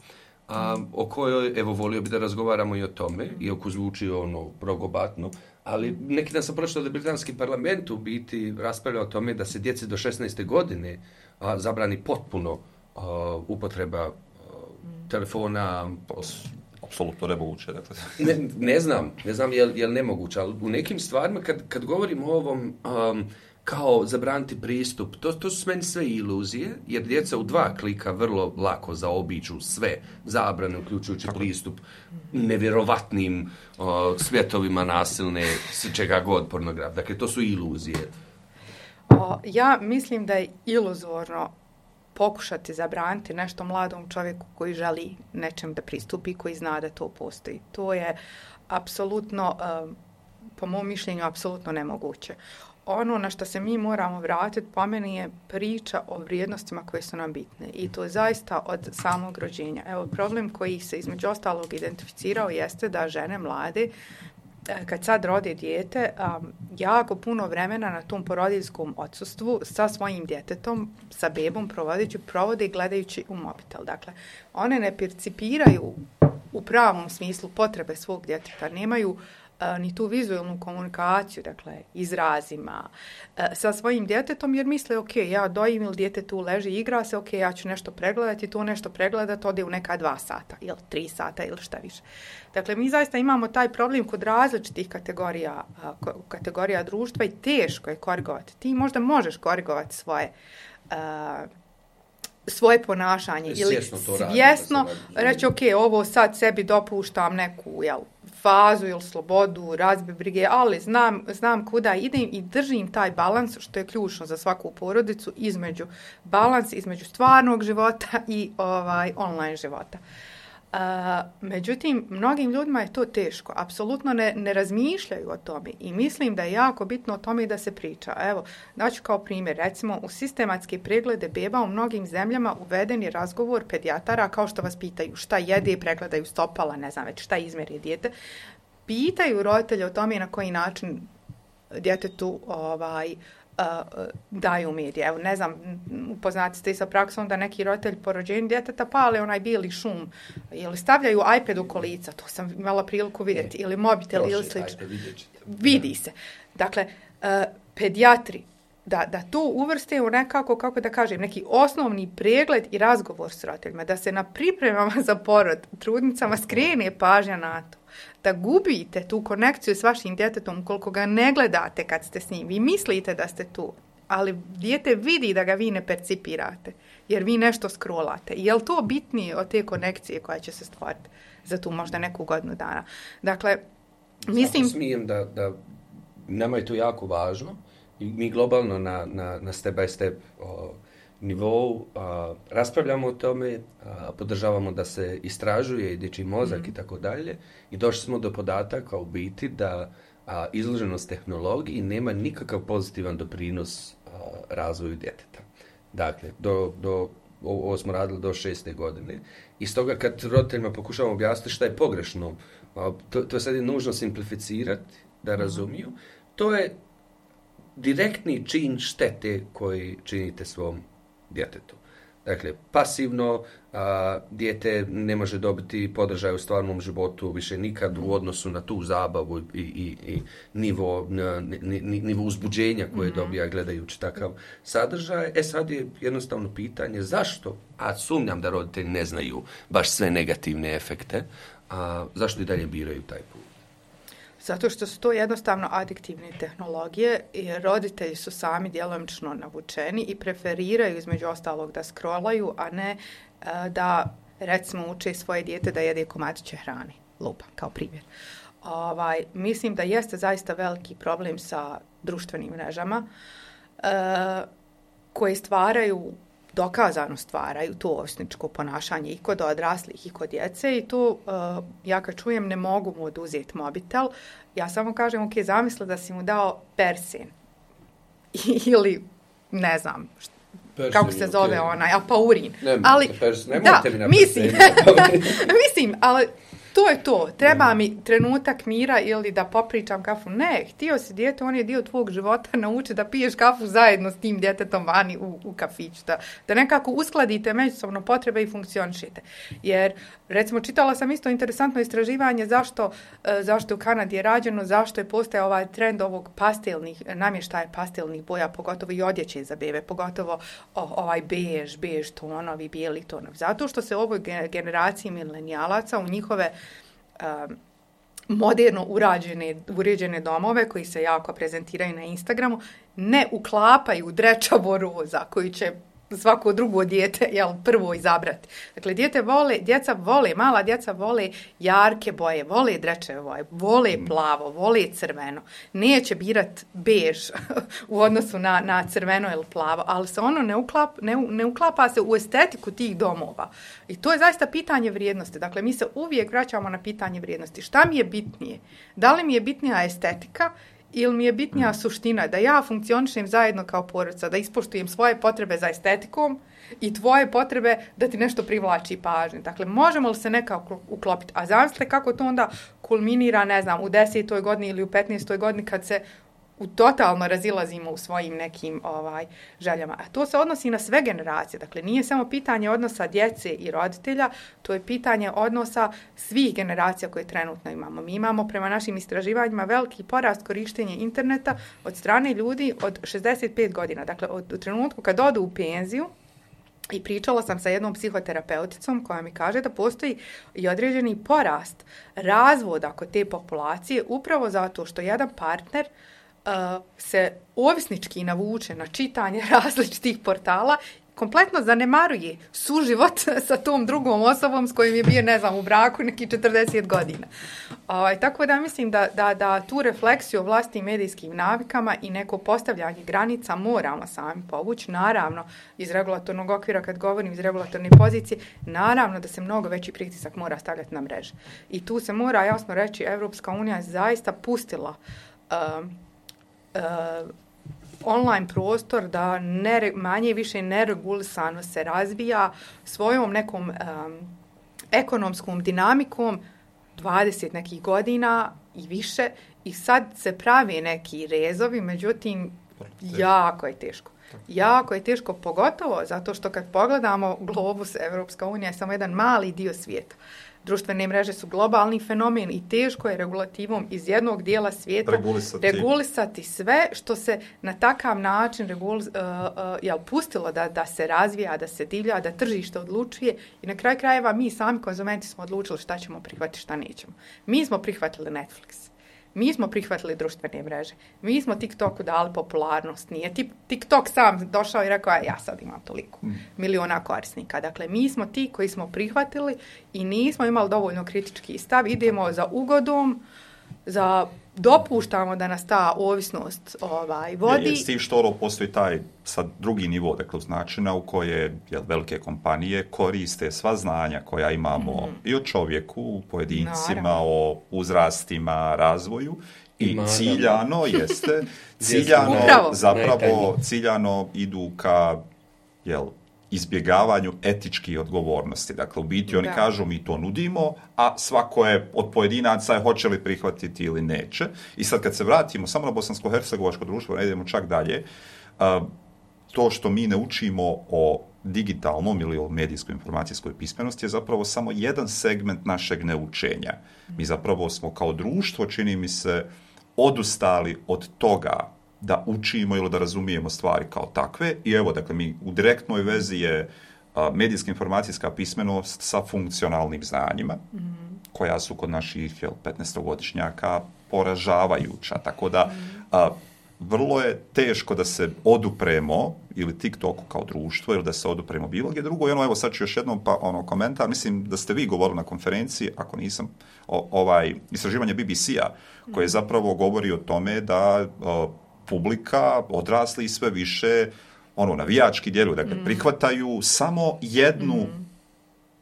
a, o kojoj, evo, volio bi da razgovaramo i o tome, iako zvuči ono progobatno, ali neki dan sam pročitao da britanski parlament u biti raspravlja o tome da se djeci do šesnaeste godine a, zabrani potpuno a, upotreba a, telefona. Apsolutno nemoguće. Dakle. ne, ne znam, ne znam je li, je li nemoguće, ali u nekim stvarima kad, kad govorimo o ovom um, kao zabraniti pristup, to, to su meni sve iluzije, jer djeca u dva klika vrlo lako zaobiđu sve zabrane, uključujući pristup nevjerovatnim uh, svjetovima nasilne, čega god pornografije. Dakle, to su iluzije. O, ja mislim da je iluzorno pokušati zabraniti nešto mladom čovjeku koji želi nečem da pristupi, koji zna da to postoji. To je apsolutno, um, po mom mišljenju, apsolutno nemoguće. Ono na što se mi moramo vratiti, po meni, je priča o vrijednostima koje su nam bitne. I to je zaista od samog rođenja. Evo, problem koji se između ostalog identificirao jeste da žene mlade, kad sad rode dijete, um, jako puno vremena na tom porodiljskom odsustvu sa svojim djetetom, sa bebom provodići, provode gledajući u mobitel. Dakle, one ne percipiraju u pravom smislu potrebe svog djeteta, nemaju Uh, ni tu vizualnu komunikaciju, dakle, izrazima, uh, sa svojim djetetom, jer misle, ok, ja dojim ili dijete tu leži i igra se, ok, ja ću nešto pregledati, to nešto pregledati, ode u neka dva sata, ili tri sata, ili šta više. Dakle, mi zaista imamo taj problem kod različitih kategorija, uh, kategorija društva i teško je korigovati. Ti možda možeš korigovati svoje uh, svoje ponašanje ili svjesno reći, ok, ovo sad sebi dopuštam neku, jel, fazu ili slobodu, razbi brige, ali znam, znam kuda idem i držim taj balans, što je ključno za svaku porodicu, između balans između stvarnog života i ovaj online života. Uh, međutim, mnogim ljudima je to teško, apsolutno ne, ne razmišljaju o tome i mislim da je jako bitno o tome da se priča. Evo, daću kao primjer, recimo u sistematske preglede beba u mnogim zemljama uveden je razgovor pedijatara, kao što vas pitaju šta jede, pregledaju stopala, ne znam već šta izmjeri dijete, pitaju roditelje o tome na koji način djetetu ovaj, uh, daju medije. Evo, ne znam, upoznati ste i sa praksom da neki roditelj po rođenju djeteta pale onaj bijeli šum ili stavljaju iPad u kolica, to sam imala priliku vidjeti, ili mobitel ili slično. Vidi se. Dakle, uh, pedijatri Da, da to uvrste u nekako, kako da kažem, neki osnovni pregled i razgovor s roditeljima, da se na pripremama za porod trudnicama skrene pažnja na to, da gubite tu konekciju s vašim djetetom ukoliko ga ne gledate kad ste s njim. Vi mislite da ste tu, ali dijete vidi da ga vi ne percipirate, jer vi nešto scrollate. Je li to bitnije od te konekcije koja će se stvoriti za tu možda neku godinu dana? Dakle, mislim... Zato smijem da, da nama je to jako važno. I mi globalno na, na, na step by step o, nivou a, raspravljamo o tome, a, podržavamo da se istražuje i dječji mozak mm-hmm. i tako dalje. I došli smo do podataka u biti da a, izloženost tehnologiji nema nikakav pozitivan doprinos a, razvoju djeteta. Dakle, do, do, ovo smo radili do šeste godine. I stoga kad roditeljima pokušavamo objasniti šta je pogrešno, a, to, to sad je nužno simplificirati da razumiju, to je direktni čin štete koji činite svom djetetu. Dakle, pasivno a, dijete ne može dobiti podržaj u stvarnom životu više nikad u odnosu na tu zabavu i, i, i nivo, ni, ni, nivo uzbuđenja koje mm-hmm. dobija gledajući takav sadržaj. E sad je jednostavno pitanje zašto, a sumnjam da roditelji ne znaju baš sve negativne efekte, a zašto i dalje biraju taj put? Zato što su to jednostavno adiktivne tehnologije i roditelji su sami djelomično navučeni i preferiraju između ostalog da scrollaju, a ne uh, da recimo uče svoje dijete da jede komadiće hrane. Lupa, kao primjer. Ovaj, mislim da jeste zaista veliki problem sa društvenim mrežama uh, koje stvaraju, dokazano stvaraju to ovisničko ponašanje i kod odraslih i kod djece i tu uh, ja kad čujem ne mogu mu oduzeti mobitel, ja samo kažem ok, zamisli da si mu dao persin ili ne znam šta, persin, kako se zove okay. onaj, apaurin. Ne, ali, persin, da, mislim, mislim, ali to je to. Treba mi trenutak mira ili da popričam kafu. Ne, htio si dijete, on je dio tvog života, nauči da piješ kafu zajedno s tim djetetom vani u, u kafiću. Da, da nekako uskladite međusobno potrebe i funkcionišete. Jer, recimo, čitala sam isto interesantno istraživanje zašto, zašto u Kanadi je rađeno, zašto je postao ovaj trend ovog pastelnih, namještaja pastelnih boja, pogotovo i odjeće za bebe, pogotovo o, ovaj bež, bež tonovi, bijeli tonovi. Zato što se ovoj generaciji milenijalaca u njihove Um, moderno urađene, uređene domove koji se jako prezentiraju na Instagramu ne uklapaju drečavo roza koji će svako drugo dijete jel, prvo izabrati. Dakle, dijete vole, djeca vole, mala djeca vole jarke boje, vole drečeve boje, vole plavo, vole crveno. Neće birat bež u odnosu na, na crveno ili plavo, ali se ono ne, uklap, ne, ne uklapa se u estetiku tih domova. I to je zaista pitanje vrijednosti. Dakle, mi se uvijek vraćamo na pitanje vrijednosti. Šta mi je bitnije? Da li mi je bitnija estetika ili mi je bitnija suština, da ja funkcionišem zajedno kao porodica, da ispoštujem svoje potrebe za estetikom i tvoje potrebe da ti nešto privlači pažnje. Dakle, možemo li se nekako uklopiti? A zamislite kako to onda kulminira, ne znam, u desetoj godini ili u petnaestoj godini kad se u totalno razilazimo u svojim nekim ovaj željama. A to se odnosi na sve generacije. Dakle, nije samo pitanje odnosa djece i roditelja, to je pitanje odnosa svih generacija koje trenutno imamo. Mi imamo prema našim istraživanjima veliki porast korištenja interneta od strane ljudi od šezdeset pet godina. Dakle, od, od trenutku kad odu u penziju, i pričala sam sa jednom psihoterapeuticom koja mi kaže da postoji i određeni porast razvoda kod te populacije upravo zato što jedan partner Uh, se ovisnički navuče na čitanje različitih portala, kompletno zanemaruje suživot sa tom drugom osobom s kojim je bio, ne znam, u braku neki četrdeset godina. Uh, tako da mislim da, da, da tu refleksiju o vlastnim medijskim navikama i neko postavljanje granica moramo sami povući, naravno iz regulatornog okvira, kad govorim iz regulatorne pozicije, naravno da se mnogo veći pritisak mora stavljati na mreže. I tu se mora jasno reći, Evropska unija je zaista pustila uh, Uh, online prostor da ne, manje više neregulisano se razvija svojom nekom um, ekonomskom dinamikom dvadeset nekih godina i više i sad se pravi neki rezovi, međutim, jako je teško. Jako je teško, pogotovo zato što kad pogledamo globus, Evropska unija je samo jedan mali dio svijeta. Društvene mreže su globalni fenomen i teško je regulativom iz jednog dijela svijeta regulisati, regulisati sve što se na takav način regul, uh, uh, jel, pustilo da, da se razvija, da se divlja, da tržište odlučuje i na kraju krajeva mi sami konzumenti smo odlučili šta ćemo prihvatiti, šta nećemo. Mi smo prihvatili Netflix. Mi smo prihvatili društvene mreže. Mi smo TikToku dali popularnost. Nije TikTok sam došao i rekao, ja sad imam toliko miliona korisnika. Dakle, mi smo ti koji smo prihvatili i nismo imali dovoljno kritički stav. Idemo za ugodom, za dopuštamo da nas ta ovisnost ovaj, vodi. Je, je, s tim što ono postoji taj sad drugi nivo, dakle, načina u koje jel, velike kompanije koriste sva znanja koja imamo mm. i o čovjeku, pojedincima, Naravno. o uzrastima, razvoju i Naravno. ciljano jeste, ciljano zapravo ciljano idu ka jel, izbjegavanju etičkih odgovornosti. Dakle, u biti oni da. kažu mi to nudimo, a svako je od pojedinaca je hoće li prihvatiti ili neće. I sad kad se vratimo samo na bosansko-hercegovačko društvo, ne idemo čak dalje, uh, to što mi ne učimo o digitalnom ili o medijskoj informacijskoj pismenosti je zapravo samo jedan segment našeg neučenja. Mi zapravo smo kao društvo, čini mi se, odustali od toga da učimo ili da razumijemo stvari kao takve. I evo, dakle, mi u direktnoj vezi je a, medijska informacijska pismenost sa funkcionalnim znanjima, mm-hmm. koja su kod naših jel, petnaestogodišnjaka poražavajuća. Tako da, a, vrlo je teško da se odupremo ili TikToku kao društvo ili da se odupremo bilo gdje drugo. I ono, evo, sad ću još jednom pa, ono, komentar. Mislim da ste vi govorili na konferenciji, ako nisam, o, ovaj, istraživanje B B C-a, koje zapravo govori o tome da a, publika, odrasli i sve više ono, navijački djeluju. Dakle, mm. prihvataju samo jednu,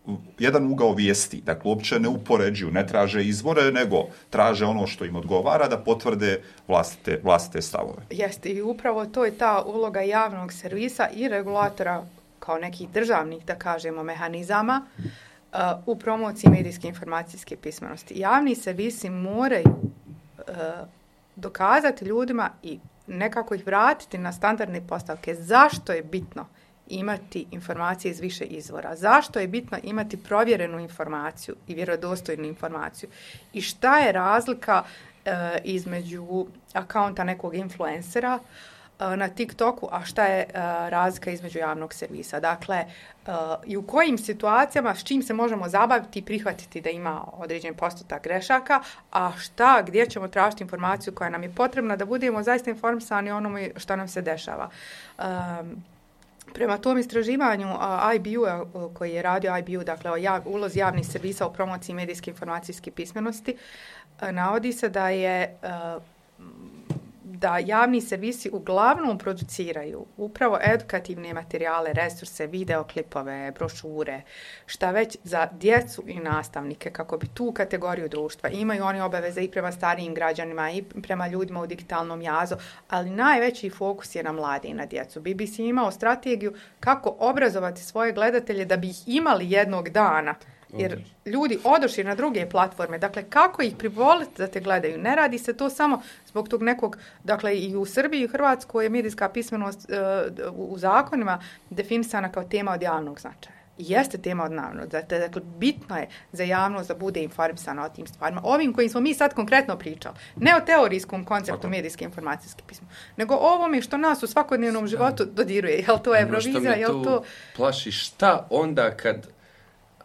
mm. jedan ugao vijesti. Dakle, uopće ne upoređuju, ne traže izvore, nego traže ono što im odgovara da potvrde vlastite, vlastite stavove. Jeste, i upravo to je ta uloga javnog servisa i regulatora kao nekih državnih, da kažemo, mehanizama uh, u promociji medijske informacijske pismenosti. Javni servisi moraju uh, dokazati ljudima i nekako ih vratiti na standardne postavke. Zašto je bitno imati informacije iz više izvora? Zašto je bitno imati provjerenu informaciju i vjerodostojnu informaciju? I šta je razlika e, između akaunta nekog influencera e, na TikToku, a šta je e, razlika između javnog servisa? Dakle, e, i u kojim situacijama, s čim se možemo zabaviti i prihvatiti da ima određen postotak grešaka, a šta, gdje ćemo tražiti informaciju koja nam je potrebna da budemo zaista informisani o onome što nam se dešava. Um, Prema tom istraživanju uh, I B U-a uh, koji je radio I B U, dakle o jav, ulozi javnih servisa u promociji medijske informacijske pismenosti, uh, navodi se da je uh, da javni servisi uglavnom produciraju upravo edukativne materijale, resurse, videoklipove, brošure, šta već za djecu i nastavnike, kako bi tu kategoriju društva. Imaju oni obaveze i prema starijim građanima i prema ljudima u digitalnom jazu, ali najveći fokus je na mlade i na djecu. B B C je imao strategiju kako obrazovati svoje gledatelje da bi ih imali jednog dana. Jer ljudi odošli na druge platforme, dakle kako ih privoliti da te gledaju? Ne radi se to samo zbog tog nekog, dakle i u Srbiji i u Hrvatskoj je medijska pismenost uh, u zakonima definisana kao tema od javnog značaja. I jeste tema od javnog značaja, dakle bitno je za javnost da bude informisana o tim stvarima. Ovim kojim smo mi sad konkretno pričali, ne o teorijskom konceptu Tako. medijske informacijske pismenosti, nego o ovome što nas u svakodnevnom životu dodiruje. Je li to Eurovizija, je li to... plaši šta onda kad...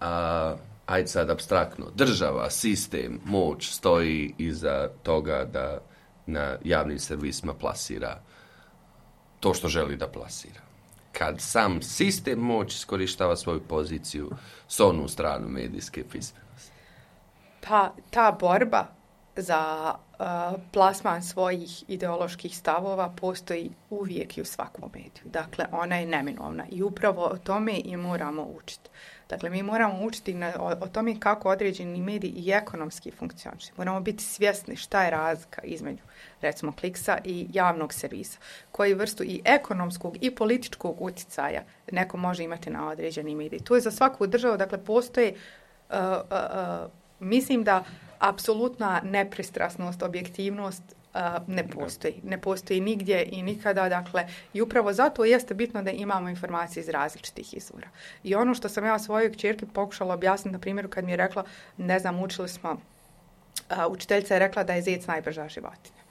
A, ajde sad apstraktno, država, sistem, moć stoji iza toga da na javnim servisima plasira to što želi da plasira. Kad sam sistem moć iskorištava svoju poziciju s onu stranu medijske pismenosti. Pa ta borba za uh, plasman svojih ideoloških stavova postoji uvijek i u svakom mediju. Dakle, ona je neminovna i upravo o tome i moramo učiti. Dakle, mi moramo učiti na, o, o tome kako određeni mediji i ekonomski funkcionišu. Moramo biti svjesni šta je razlika između, recimo, Kliksa i javnog servisa. Koju vrstu i ekonomskog i političkog utjecaja neko može imati na određeni medij. To je za svaku državu, dakle, postoje, uh, uh, uh, mislim da apsolutna nepristrasnost, objektivnost uh, ne postoji. Ne postoji nigdje i nikada, dakle, i upravo zato jeste bitno da imamo informacije iz različitih izvora. I ono što sam ja svojoj kćerki pokušala objasniti, na primjeru kad mi je rekla, ne znam, učili smo, uh, učiteljica je rekla da je zec najbrža životinja.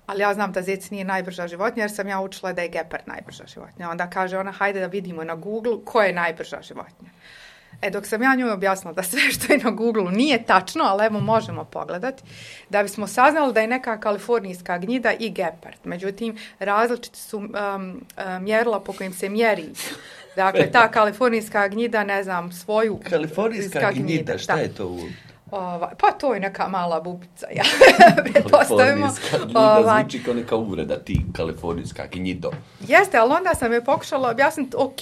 Ali ja znam da zec nije najbrža životinja jer sam ja učila da je gepard najbrža životinja. Onda kaže ona, hajde da vidimo na Google ko je najbrža životinja. E, dok sam ja njoj objasnila da sve što je na Google nije tačno, ali evo možemo pogledati, da bismo saznali da je neka kalifornijska gnjida i gepard. Međutim, različiti su um, um, mjerila po kojim se mjeri. Dakle, ta kalifornijska gnjida, ne znam, svoju... Kalifornijska gnjida, šta je to u... Ovaj, pa to je neka mala bubica, ja pretpostavimo. Ovaj, zvuči kao neka uvreda, ti kalifornijska gnjido. Jeste, ali onda sam je pokušala objasniti, ok,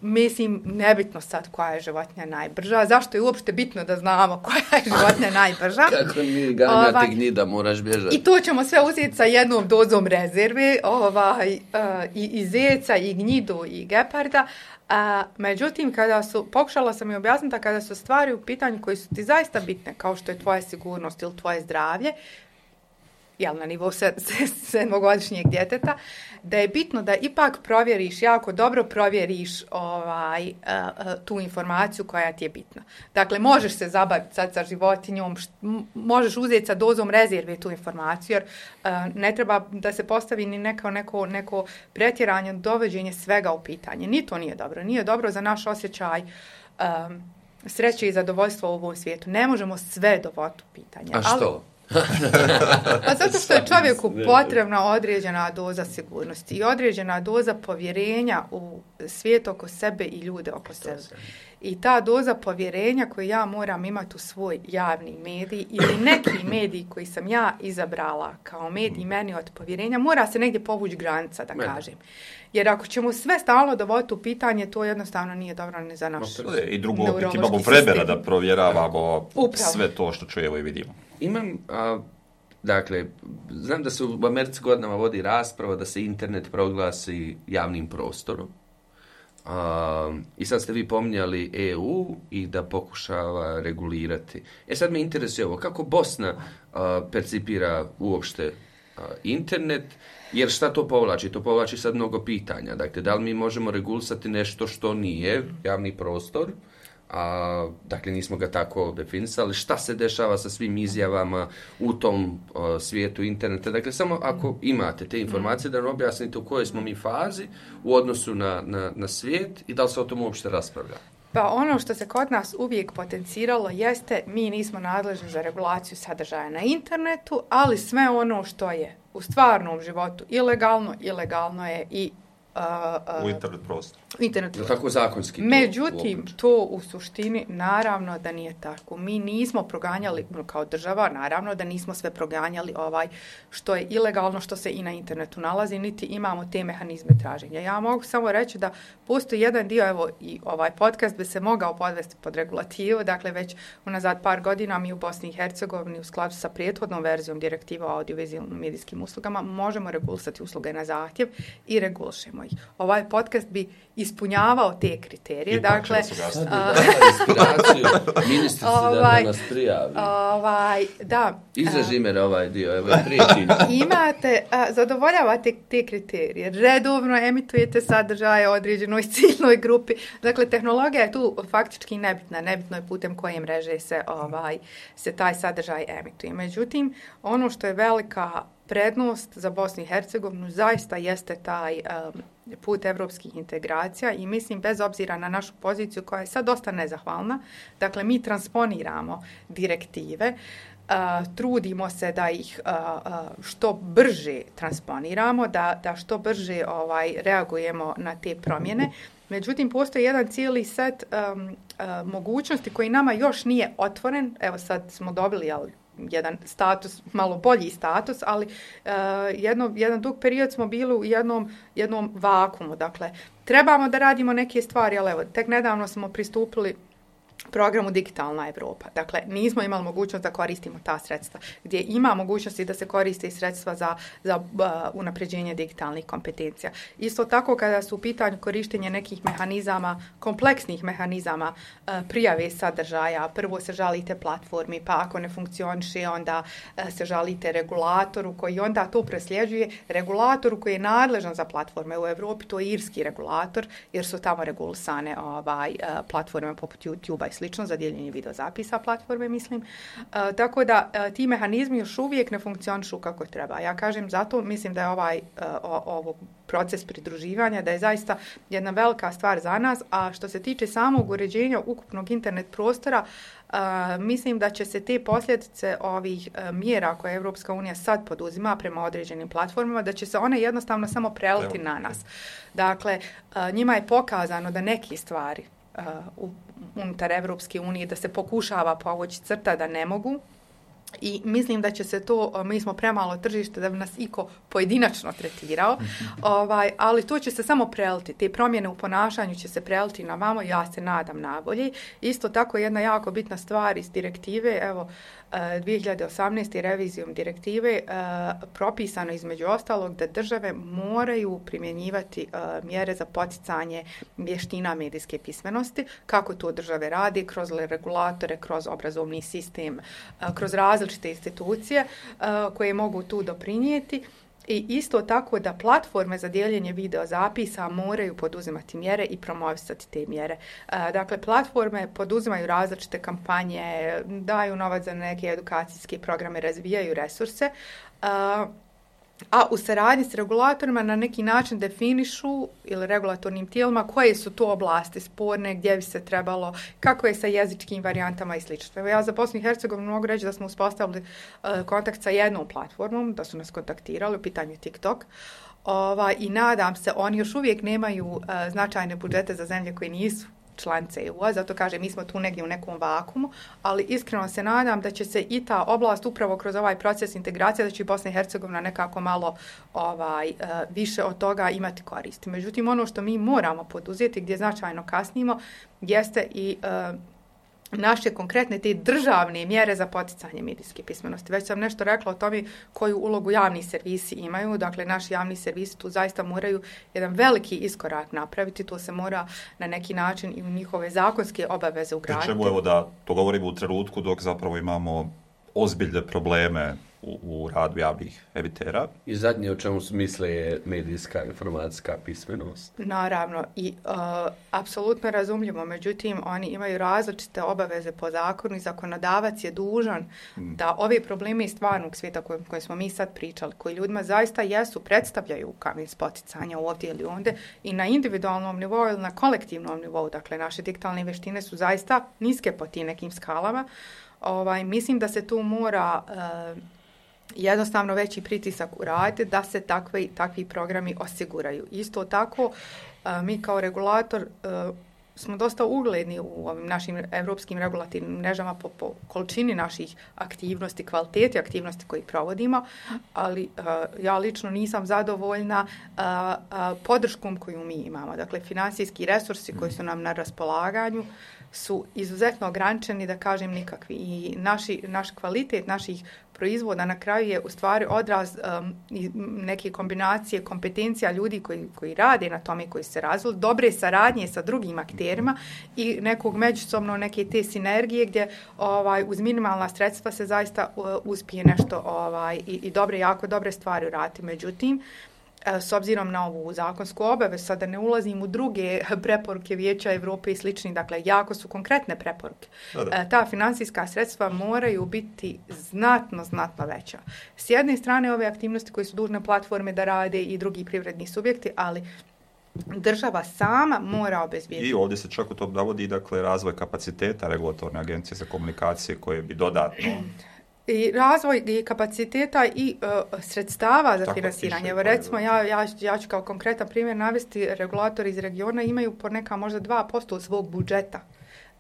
mislim, nebitno sad koja je životinja najbrža, zašto je uopšte bitno da znamo koja je životinja najbrža. Kako mi ganjati ovaj, gnjida, moraš bježati. I to ćemo sve uzeti sa jednom dozom rezerve, ovaj, uh, i, i zeca, i gnjidu, i geparda. A, međutim, kada su, pokušala sam i objasniti, kada su stvari u pitanju koji su ti zaista bitne, kao što je tvoja sigurnost ili tvoje zdravlje, jel, na nivou sedmogodišnjeg djeteta, da je bitno da ipak provjeriš, jako dobro provjeriš ovaj, uh, uh, tu informaciju koja ti je bitna. Dakle, možeš se zabaviti sad sa životinjom, št, možeš uzeti sa dozom rezerve tu informaciju, jer uh, ne treba da se postavi ni neko, neko, neko pretjeranje, dovođenje svega u pitanje. Ni to nije dobro. Nije dobro za naš osjećaj um, sreće i zadovoljstva u ovom svijetu. Ne možemo sve dovoditi u pitanje. A što? Ali, a zato što je čovjeku potrebna određena doza sigurnosti i određena doza povjerenja u svijet oko sebe i ljude oko sebe. I ta doza povjerenja koju ja moram imati u svoj javni medij ili neki medij koji sam ja izabrala kao medij meni od povjerenja, mora se negdje povući granica, da kažem. Jer ako ćemo sve stalno dovoditi u pitanje, to jednostavno nije dobro ni za naš I drugo, opet imamo vremena da provjeravamo Upravo. sve to što čujemo i vidimo. Imam, a, dakle, znam da se u Americi godinama vodi rasprava da se internet proglasi javnim prostorom. A, I sad ste vi pominjali E U i da pokušava regulirati. E sad me interesuje ovo, kako Bosna a, percipira uopšte a, internet, jer šta to povlači? To povlači sad mnogo pitanja. Dakle, da li mi možemo regulisati nešto što nije javni prostor? A, dakle, nismo ga tako definisali. Šta se dešava sa svim izjavama u tom a, svijetu interneta? Dakle, samo ako imate te informacije, da nam objasnite u kojoj smo mi fazi u odnosu na, na, na svijet i da li se o tom uopšte raspravlja. Pa ono što se kod nas uvijek potenciralo jeste, mi nismo nadležni za regulaciju sadržaja na internetu, ali sve ono što je u stvarnom životu ilegalno, ilegalno je i Uh, uh, u internet prostoru. Internet prostor. Tako zakonski. Međutim, to, to u suštini naravno da nije tako. Mi nismo proganjali, kao država, naravno da nismo sve proganjali ovaj što je ilegalno, što se i na internetu nalazi, niti imamo te mehanizme traženja. Ja mogu samo reći da postoji jedan dio, evo i ovaj podcast bi se mogao podvesti pod regulativu, dakle već unazad par godina mi u Bosni i Hercegovini u skladu sa prethodnom verzijom direktiva o audiovizualnim medijskim uslugama možemo regulisati usluge na zahtjev i regulišemo ih. Ovaj podcast bi ispunjavao te kriterije. Ipak dakle, a, inspiraciju ministrici ovaj, da nas prijavi. Ovaj, da. Izraži me ovaj dio, evo priječi. Imate, a, zadovoljavate te kriterije. Redovno emitujete sadržaje određenoj ciljnoj grupi. Dakle, tehnologija je tu faktički nebitna. Nebitno je putem koje mreže se, ovaj, se taj sadržaj emituje. Međutim, ono što je velika prednost za Bosnu i Hercegovinu zaista jeste taj um, put evropskih integracija i mislim bez obzira na našu poziciju koja je sad dosta nezahvalna, dakle mi transponiramo direktive, uh, trudimo se da ih uh, uh, što brže transponiramo, da, da što brže ovaj, reagujemo na te promjene. Međutim, postoji jedan cijeli set um, uh, mogućnosti koji nama još nije otvoren. Evo sad smo dobili, jel, jedan status, malo bolji status, ali uh, jedno, jedan dug period smo bili u jednom, jednom vakumu. Dakle, trebamo da radimo neke stvari, ali evo, tek nedavno smo pristupili programu Digitalna Europa. Dakle, nismo imali mogućnost da koristimo ta sredstva, gdje ima mogućnosti da se koriste i sredstva za, za uh, unapređenje digitalnih kompetencija. Isto tako kada su u pitanju korištenje nekih mehanizama, kompleksnih mehanizama uh, prijave sadržaja, prvo se žalite platformi, pa ako ne funkcioniše, onda uh, se žalite regulatoru koji onda to presljeđuje. Regulatoru koji je nadležan za platforme u Europi, to je irski regulator, jer su tamo regulisane ovaj, uh, platforme poput YouTube-a i slično za dijeljenje videozapisa platforme, mislim. E, tako da e, ti mehanizmi još uvijek ne funkcionišu kako treba. Ja kažem, zato mislim da je ovaj e, o, ovo proces pridruživanja, da je zaista jedna velika stvar za nas, a što se tiče samog uređenja ukupnog internet prostora, Uh, mislim da će se te posljedice ovih uh, mjera koje Europska unija sad poduzima prema određenim platformama, da će se one jednostavno samo preliti na nas. Dakle, uh, njima je pokazano da neke stvari uh, u, unutar Europske unije, da se pokušava povući crta da ne mogu, i mislim da će se to, mi smo premalo tržište da bi nas iko pojedinačno tretirao, ovaj, ali to će se samo preliti. Te promjene u ponašanju će se preliti na vamo, ja se nadam najbolje. Isto tako jedna jako bitna stvar iz direktive, evo, dvije hiljade osamnaeste. revizijom direktive propisano između ostalog da države moraju primjenjivati mjere za poticanje vještina medijske pismenosti. Kako to države radi? Kroz regulatore, kroz obrazovni sistem, kroz različite institucije koje mogu tu doprinijeti. I isto tako da platforme za dijeljenje videozapisa moraju poduzimati mjere i promovisati te mjere. Dakle, platforme poduzimaju različite kampanje, daju novac za neke edukacijske programe, razvijaju resurse, a u saradnji s regulatorima na neki način definišu ili regulatornim tijelima koje su to oblasti sporne, gdje bi se trebalo, kako je sa jezičkim varijantama i slično. Ja za Bosnu i Hercegovinu mogu reći da smo uspostavili uh, kontakt sa jednom platformom, da su nas kontaktirali u pitanju TikTok. Ova, I nadam se, oni još uvijek nemaju uh, značajne budžete za zemlje koje nisu članice E U-a, zato kaže mi smo tu negdje u nekom vakumu, ali iskreno se nadam da će se i ta oblast upravo kroz ovaj proces integracije, da će i Bosna i Hercegovina nekako malo ovaj, uh, više od toga imati koristi. Međutim, ono što mi moramo poduzeti, gdje značajno kasnimo, jeste i uh, naše konkretne te državne mjere za poticanje medijske pismenosti. Već sam nešto rekla o tome koju ulogu javni servisi imaju. Dakle, naši javni servisi tu zaista moraju jedan veliki iskorak napraviti. To se mora na neki način i u njihove zakonske obaveze ugraditi. Čemu evo da to govorimo u trenutku dok zapravo imamo ozbiljne probleme u, u radu javnih emitera. I zadnje o čemu se misle je medijska informacijska pismenost. Naravno i uh, apsolutno razumljivo, međutim oni imaju različite obaveze po zakonu i zakonodavac je dužan hmm. da ove probleme iz stvarnog svijeta koje, koje smo mi sad pričali, koji ljudima zaista jesu, predstavljaju kamen spoticanja ovdje ili onde i na individualnom nivou ili na kolektivnom nivou, dakle naše digitalne vještine su zaista niske po tim nekim skalama. Ovaj, mislim da se tu mora uh, jednostavno veći pritisak uraditi da se takvi, takvi programi osiguraju. Isto tako, uh, mi kao regulator uh, smo dosta ugledni u ovim našim evropskim regulativnim mrežama po, po količini naših aktivnosti, kvaliteti aktivnosti koje provodimo, ali uh, ja lično nisam zadovoljna uh, uh, podrškom koju mi imamo. Dakle, finansijski resursi koji su nam na raspolaganju su izuzetno ograničeni, da kažem nikakvi. I naši, naš kvalitet naših proizvoda na kraju je u stvari odraz um, neke kombinacije kompetencija ljudi koji, koji rade na tome, koji se razvili, dobre saradnje sa drugim akterima i nekog međusobno neke te sinergije gdje ovaj, uz minimalna sredstva se zaista uh, uspije nešto ovaj, i, i dobre, jako dobre stvari uraditi. Međutim, s obzirom na ovu zakonsku obavezu, sada ne ulazim u druge preporuke Vijeća Europe i slični, dakle, jako su konkretne preporuke. Da, da. Ta finansijska sredstva moraju biti znatno, znatno veća. S jedne strane, ove aktivnosti koje su dužne platforme da rade i drugi privredni subjekti, ali država sama mora obezbijediti. I ovdje se čak u to navodi, dakle, razvoj kapaciteta regulatorne agencije za komunikacije koje bi dodatno... I razvoj i kapaciteta i uh, sredstava za tako finansiranje. Evo recimo, ja, ja, ja ću kao konkretan primjer navesti, regulatori iz regiona imaju po neka možda dva posto svog budžeta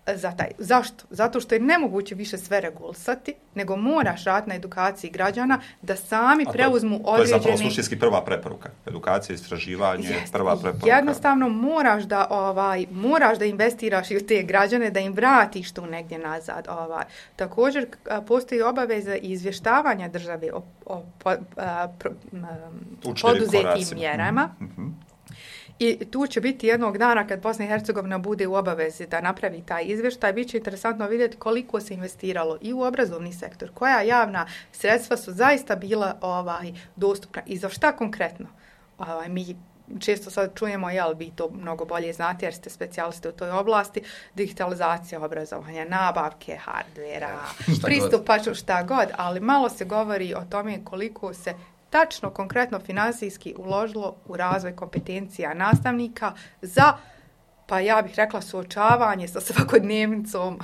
za taj. Zašto? Zato što je nemoguće više sve regulisati, nego moraš raditi na edukaciji građana da sami to, preuzmu određeni... To je zapravo suštinski prva preporuka. Edukacija, istraživanje, Jest, prva preporuka. Jednostavno moraš da, ovaj, moraš da investiraš i u te građane, da im vratiš tu negdje nazad. Ovaj. Također postoji obaveza izvještavanja države o, o po, a, pro, a, poduzetim mjerama. Mm-hmm. I tu će biti jednog dana kad Bosna i Hercegovina bude u obavezi da napravi taj izvještaj, bit će interesantno vidjeti koliko se investiralo i u obrazovni sektor, koja javna sredstva su zaista bila ovaj, dostupna i za šta konkretno. Ovaj, mi često sad čujemo, jel, vi to mnogo bolje znate jer ste specijalisti u toj oblasti, digitalizacija obrazovanja, nabavke hardvera, pristupačno šta god, ali malo se govori o tome koliko se tačno, konkretno, finansijski uložilo u razvoj kompetencija nastavnika za, pa ja bih rekla, suočavanje sa svakodnevnicom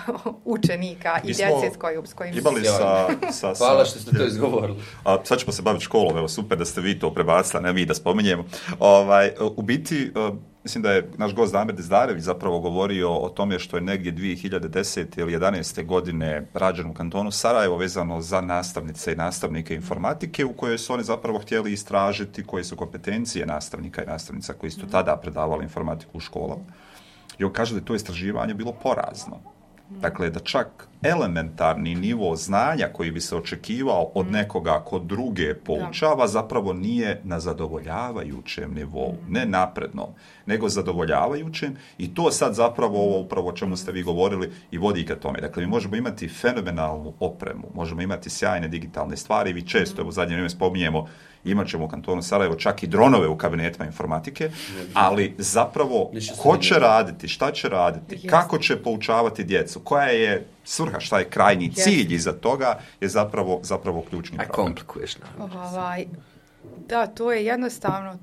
učenika i djece s kojim, s kojim imali sa, sa, sa... Hvala što ste to izgovorili. A, sad ćemo se baviti školom, evo super da ste vi to prebacili, ne mi da spominjemo. Ovaj, u biti, uh, mislim da je naš gost Damir Dizdarević zapravo govorio o tome što je negdje dvije hiljade desete ili jedanaeste godine rađen u kantonu Sarajevo vezano za nastavnice i nastavnike informatike u kojoj su oni zapravo htjeli istražiti koje su kompetencije nastavnika i nastavnica koji su tada predavali informatiku u školama. I on kaže da je to istraživanje bilo porazno. Dakle, da čak elementarni nivo znanja koji bi se očekivao od nekoga ko druge poučava zapravo nije na zadovoljavajućem nivou, ne naprednom, nego zadovoljavajućem i to sad zapravo ovo upravo o čemu ste vi govorili i vodi ka tome. Dakle, mi možemo imati fenomenalnu opremu, možemo imati sjajne digitalne stvari, vi često u zadnje vrijeme spominjemo, imat ćemo u kantonu Sarajevo čak i dronove u kabinetima informatike, ali zapravo ko će raditi, šta će raditi, kako će poučavati djecu, koja je svrha, šta je krajnji cilj iza toga je zapravo, zapravo ključni problem. A komplikuješ nam. Ovaj, da, to je jednostavno,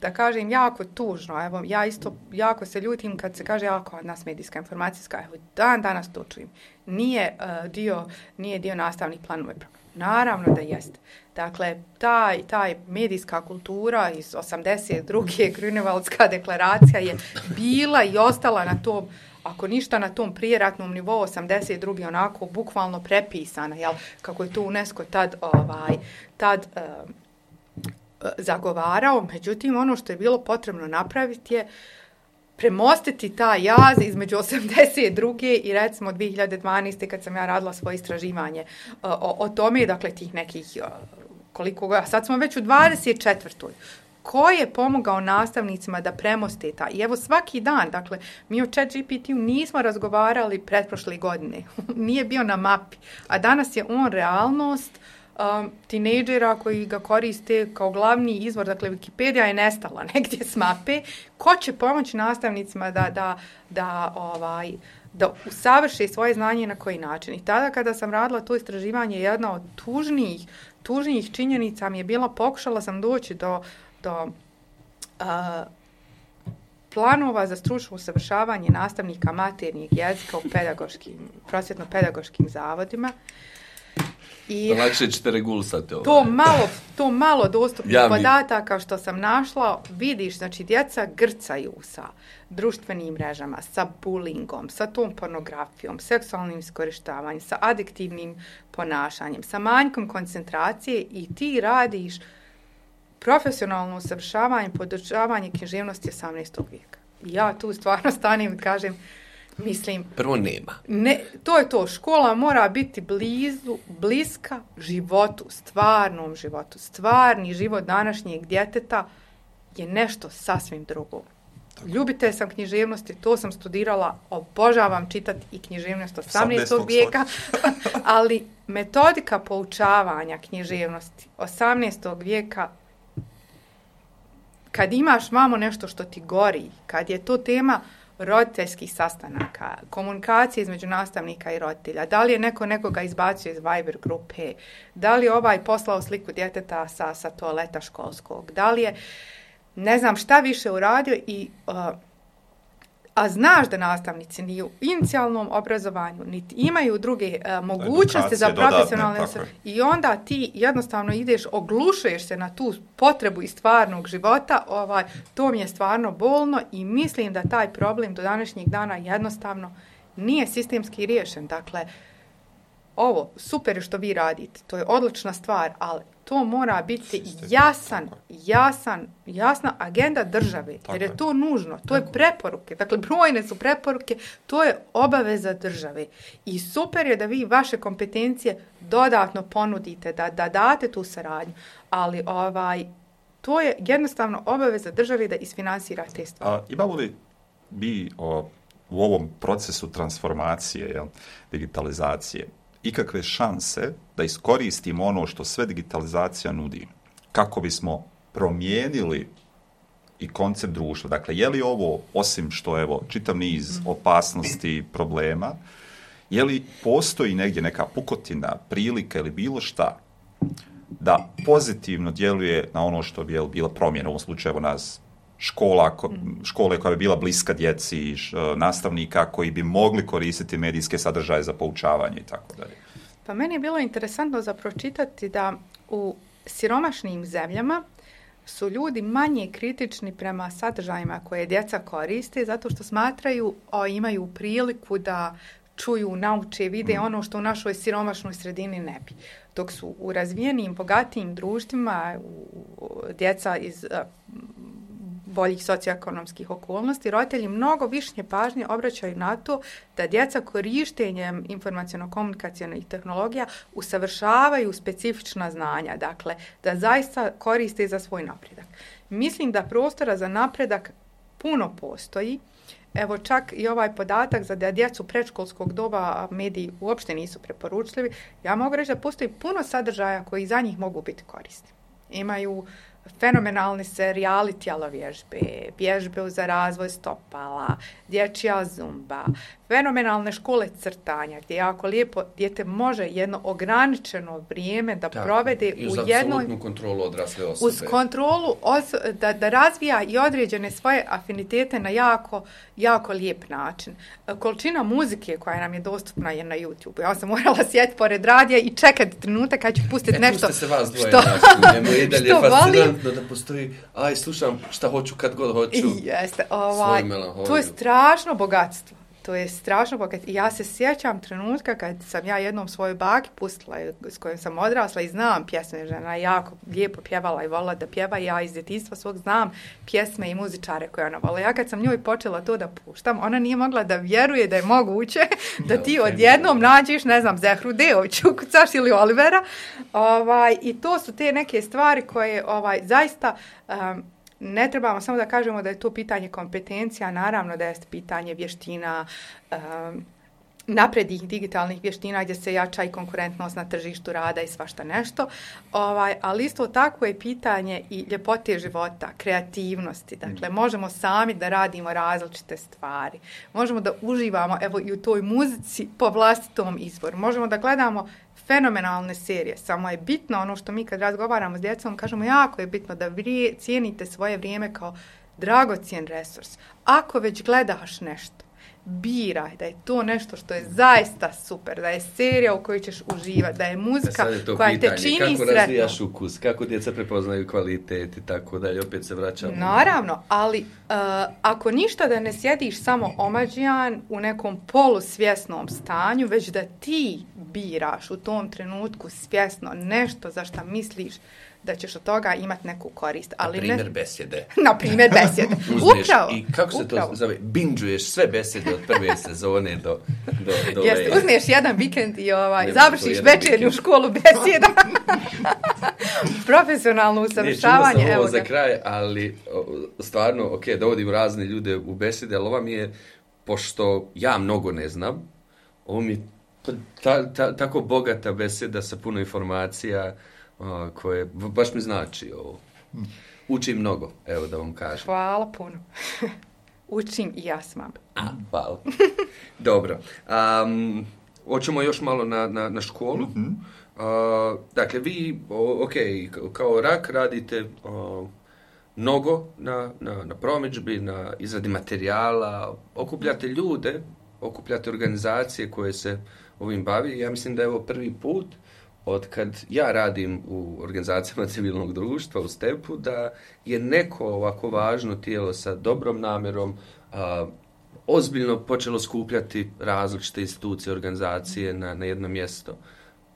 da kažem, jako tužno. Evo, ja isto jako se ljutim kad se kaže jako od nas medijska informacijska. Evo, dan danas to čujem. Nije, uh, dio, nije dio nastavnih planova. Naravno da jeste. Dakle, taj, taj medijska kultura iz osamdeset druge Grunewaldska deklaracija je bila i ostala na tom, ako ništa na tom prijeratnom nivou osamdeset druge onako bukvalno prepisana, jel, kako je to UNESCO tad, ovaj, tad uh, zagovarao. Međutim, ono što je bilo potrebno napraviti je premostiti ta jaz između osamdeset druge i recimo dvije hiljade dvanaeste kad sam ja radila svoje istraživanje o, o tome, dakle tih nekih koliko ga, sad smo već u dvadeset četvrtoj Ko je pomogao nastavnicima da premoste ta? I evo svaki dan, dakle, mi o ChatGPT-u nismo razgovarali pretprošle godine. Nije bio na mapi. A danas je on realnost um, tinejdžera koji ga koriste kao glavni izvor. Dakle, Wikipedia je nestala negdje s mape. Ko će pomoći nastavnicima da, da, da, ovaj, da usavrše svoje znanje na koji način? I tada kada sam radila to istraživanje, jedna od tužnijih, tužnijih činjenica mi je bila, pokušala sam doći do do uh, planova za stručno usavršavanje nastavnika maternjeg jezika u pedagoškim, prosvjetno-pedagoškim zavodima. I lakše ćete regulisati ovo. To malo, to malo dostupnih ja podataka što sam našla, vidiš, znači djeca grcaju sa društvenim mrežama, sa bullyingom, sa tom pornografijom, seksualnim iskorištavanjem, sa adiktivnim ponašanjem, sa manjkom koncentracije i ti radiš profesionalno usavršavanje, podržavanje književnosti osamnaestog vijeka. Ja tu stvarno stanem i kažem, mislim... Prvo nema. Ne, to je to. Škola mora biti blizu, bliska životu, stvarnom životu. Stvarni život današnjeg djeteta je nešto sasvim drugo. Ljubitelj sam književnosti, to sam studirala, obožavam čitati i književnost osamnaestog vijeka, ali metodika poučavanja književnosti osamnaestog vijeka, kad imaš vamo nešto što ti gori, kad je to tema roditeljskih sastanaka, komunikacije između nastavnika i roditelja, da li je neko nekoga izbacio iz Viber grupe, da li je ovaj poslao sliku djeteta sa, sa toaleta školskog, da li je, ne znam šta više uradio, i, uh, a znaš da nastavnici ni u inicijalnom obrazovanju, niti imaju druge uh, mogućnosti za profesionalne dodatne, i onda ti jednostavno ideš, oglušuješ se na tu potrebu iz stvarnog života, ovaj, to mi je stvarno bolno i mislim da taj problem do današnjeg dana jednostavno nije sistemski riješen. Dakle, ovo, super je što vi radite, to je odlična stvar, ali to mora biti jasan, jasan, jasna agenda države, jer je to nužno, to je preporuke, dakle brojne su preporuke, to je obaveza države i super je da vi vaše kompetencije dodatno ponudite, da, da date tu saradnju, ali ovaj, to je jednostavno obaveza države da isfinansira te stvari. A imamo li bi o, u ovom procesu transformacije, jel, digitalizacije, ikakve šanse da iskoristimo ono što sve digitalizacija nudi, kako bismo promijenili i koncept društva? Dakle, je li ovo, osim što, evo, čitav niz opasnosti, problema, je li postoji negdje neka pukotina, prilika ili bilo šta da pozitivno djeluje na ono što bi bila promjena, u ovom slučaju nas škola, škole koja bi bila bliska djeci, nastavnika koji bi mogli koristiti medijske sadržaje za poučavanje i tako dalje. Pa meni je bilo interesantno za pročitati da u siromašnim zemljama su ljudi manje kritični prema sadržajima koje djeca koriste zato što smatraju, o, imaju priliku da čuju, nauče, vide mm. ono što u našoj siromašnoj sredini ne bi. Dok su u razvijenim, bogatijim društvima u, djeca iz a, boljih socioekonomskih okolnosti, roditelji mnogo više pažnje obraćaju na to da djeca korištenjem informaciono-komunikacionih tehnologija usavršavaju specifična znanja, dakle, da zaista koriste za svoj napredak. Mislim da prostora za napredak puno postoji. Evo čak i ovaj podatak za da djecu predškolskog doba mediji uopšte nisu preporučljivi. Ja mogu reći da postoji puno sadržaja koji za njih mogu biti korisni. Imaju fenomenalni serijali tjelovježbe, vježbe za razvoj stopala, dječja zumba, fenomenalne škole crtanja gdje jako lijepo dijete može jedno ograničeno vrijeme da tako, provede u jednoj... Uz kontrolu odrasle osobe. Uz kontrolu oso- da, da razvija i određene svoje afinitete na jako, jako lijep način. Količina muzike koja nam je dostupna je na YouTube. Ja sam morala sjediti pored radija i čekati trenutak kad ću pustiti e, nešto se vas dvoje što, naći, i dalje što fascinantno da postoji, aj slušam šta hoću kad god hoću. Jeste, ovaj, to je strašno bogatstvo. To je strašno bogatstvo. I ja se sjećam trenutka kad sam ja jednom svojoj baki pustila, s kojom sam odrasla i znam pjesme, žena jako lijepo pjevala i volila da pjeva, i ja iz djetinjstva svog znam pjesme i muzičare koje ona volila. Ja kad sam njoj počela to da puštam, ona nije mogla da vjeruje da je moguće da ti odjednom nađeš, ne znam, Zehru Deović, ukucaš ili Olivera. Ovaj, I to su te neke stvari koje ovaj, zaista... Um, ne trebamo samo da kažemo da je to pitanje kompetencija, naravno da je pitanje vještina, um, naprednih digitalnih vještina gdje se jača i konkurentnost na tržištu rada i svašta nešto, ovaj, ali isto tako je pitanje i ljepote života, kreativnosti. Dakle, možemo sami da radimo različite stvari. Možemo da uživamo evo i u toj muzici po vlastitom izboru. Možemo da gledamo fenomenalne serije. Samo je bitno ono što mi kad razgovaramo s djecom, kažemo jako je bitno da vrije, cijenite svoje vrijeme kao dragocjen resurs. Ako već gledaš nešto, biraj da je to nešto što je zaista super, da je serija u kojoj ćeš uživati, da je muzika je koja pitanje, te čini kako sretno. Kako razvijaš ukus, kako djeca prepoznaju kvalitet i tako dalje, opet se vraćamo. Naravno, ali uh, ako ništa da ne sjediš samo omađijan u nekom polusvjesnom stanju, već da ti biraš u tom trenutku svjesno nešto za što misliš da ćeš od toga imati neku korist. Ali na primjer ne... besjede. Na primjer besjede. Upravo. I kako se upravo. to zove? Binđuješ sve besjede od prve sezone do... do, do Jeste, ove... uzmeš jedan vikend i ovaj, završiš večernju školu besjeda. Profesionalno usavršavanje. Ne, čula sam ovo evo za ga. kraj, ali stvarno, ok, dovodim razne ljude u besede, ali ova mi je, pošto ja mnogo ne znam, ovo mi je ta, ta, tako bogata beseda sa puno informacija, a, koje baš mi znači ovo. Učim mnogo, evo da vam kažem. Hvala puno. Učim i ja s vama. A, hvala. Dobro. Um, hoćemo još malo na, na, na školu. Mm-hmm. Uh, dakle, vi, o, ok, kao rak radite o, mnogo na, na, na promidžbi, na izradi materijala, okupljate ljude, okupljate organizacije koje se ovim bavi. Ja mislim da je ovo prvi put od kad ja radim u organizacijama civilnog društva u Stepu, da je neko ovako važno tijelo sa dobrom namjerom a, ozbiljno počelo skupljati različite institucije, organizacije na, na jedno mjesto.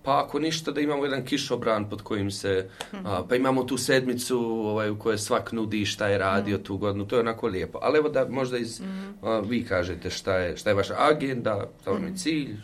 Pa ako ništa, da imamo jedan kišobran pod kojim se, mm-hmm. a, pa imamo tu sedmicu ovaj, u kojoj svak nudi šta je radio mm-hmm. tu godinu, to je onako lijepo. Ali evo da možda iz, mm-hmm. a, vi kažete šta je, šta je vaša agenda, šta vam je cilj.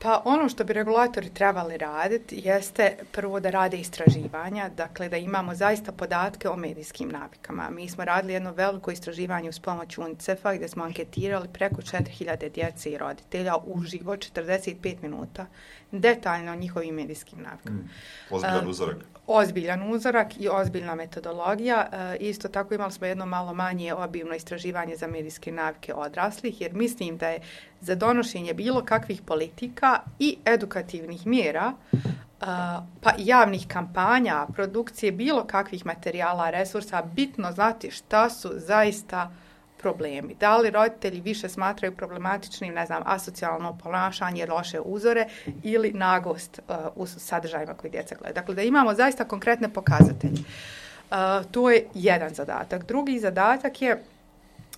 Pa ono što bi regulatori trebali raditi jeste prvo da rade istraživanja, dakle da imamo zaista podatke o medijskim navikama. Mi smo radili jedno veliko istraživanje uz pomoć UNICEF-a gdje smo anketirali preko četiri hiljade djece i roditelja uživo četrdeset pet minuta, detaljno o njihovim medijskim navikama. Mm, ozbiljan uzorak. Uh, ozbiljan uzorak i ozbiljna metodologija. Uh, isto tako imali smo jedno malo manje obimno istraživanje za medijske navike odraslih, jer mislim da je za donošenje bilo kakvih politika i edukativnih mjera, uh, pa i javnih kampanja, produkcije bilo kakvih materijala, resursa, bitno znati šta su zaista problemi. Da li roditelji više smatraju problematičnim, ne znam, asocijalno ponašanje, loše uzore ili naglost uh, u sadržajima koji djeca gledaju. Dakle, da imamo zaista konkretne pokazatelje. Uh, to je jedan zadatak. Drugi zadatak je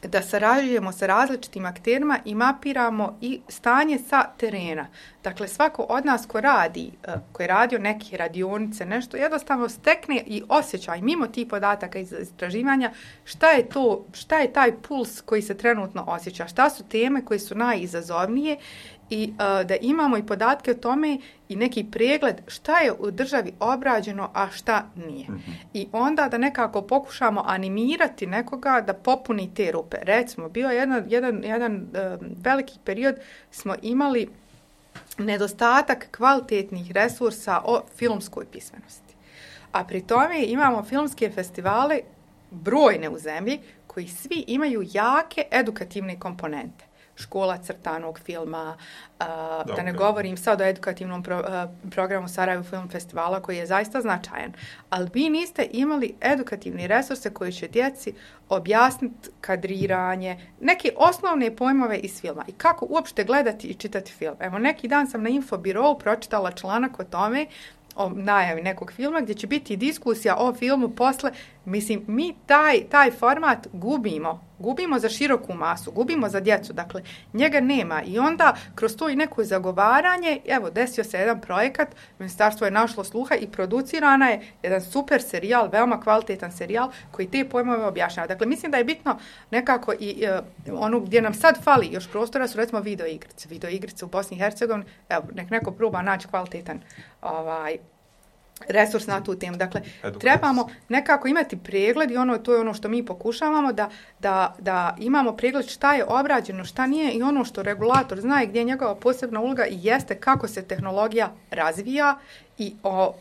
da sarađujemo sa različitim akterima i mapiramo i stanje sa terena. Dakle, svako od nas ko radi, ko je radio neke radionice, nešto, jednostavno stekne i osjećaj mimo tih podataka iz istraživanja šta je to, šta je taj puls koji se trenutno osjeća, šta su teme koje su najizazovnije i uh, da imamo i podatke o tome i neki pregled šta je u državi obrađeno, a šta nije. Mm-hmm. I onda da nekako pokušamo animirati nekoga da popuni te rupe. Recimo, bio je jedan, jedan, jedan uh, veliki period smo imali nedostatak kvalitetnih resursa o filmskoj pismenosti. A pri tome imamo filmske festivale brojne u zemlji koji svi imaju jake edukativne komponente. Škola crtanog filma, uh, da, da ne okay. govorim sad o edukativnom pro, uh, programu Sarajevo Film Festivala koji je zaista značajan. Ali vi niste imali edukativne resurse koji će djeci objasniti kadriranje, neke osnovne pojmove iz filma i kako uopšte gledati i čitati film. Evo, neki dan sam na Infobirou pročitala članak o tome, o najavi nekog filma, gdje će biti diskusija o filmu posle. Mislim, mi taj, taj format gubimo. Gubimo za široku masu, gubimo za djecu. Dakle, njega nema. I onda, kroz to i neko zagovaranje, evo, desio se jedan projekat, ministarstvo je našlo sluha i producirana je jedan super serijal, veoma kvalitetan serijal, koji te pojmove objašnjava. Dakle, mislim da je bitno nekako i uh, ono gdje nam sad fali još prostora su, recimo, video igrice. Video igrice u Bosni i Hercegovini, evo, nek neko proba naći kvalitetan ovaj, resurs na tu temu. Dakle, edukacija. Trebamo nekako imati pregled i ono, to je ono što mi pokušavamo, da, da, da imamo pregled šta je obrađeno, šta nije i ono što regulator zna i gdje je njegova posebna uloga i jeste kako se tehnologija razvija i o,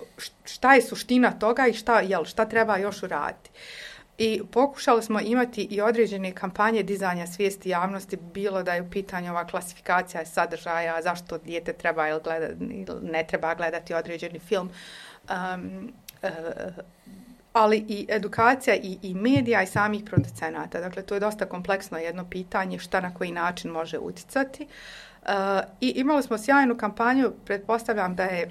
šta je suština toga i šta, jel, šta treba još uraditi. I pokušali smo imati i određene kampanje dizanja svijesti javnosti, bilo da je u pitanju ova klasifikacija sadržaja, zašto dijete treba ili, gleda, ili ne treba gledati određeni film, um, uh, ali i edukacija i, i medija i samih producenata. Dakle, to je dosta kompleksno jedno pitanje šta na koji način može utjecati. Uh, I imali smo sjajnu kampanju, pretpostavljam da je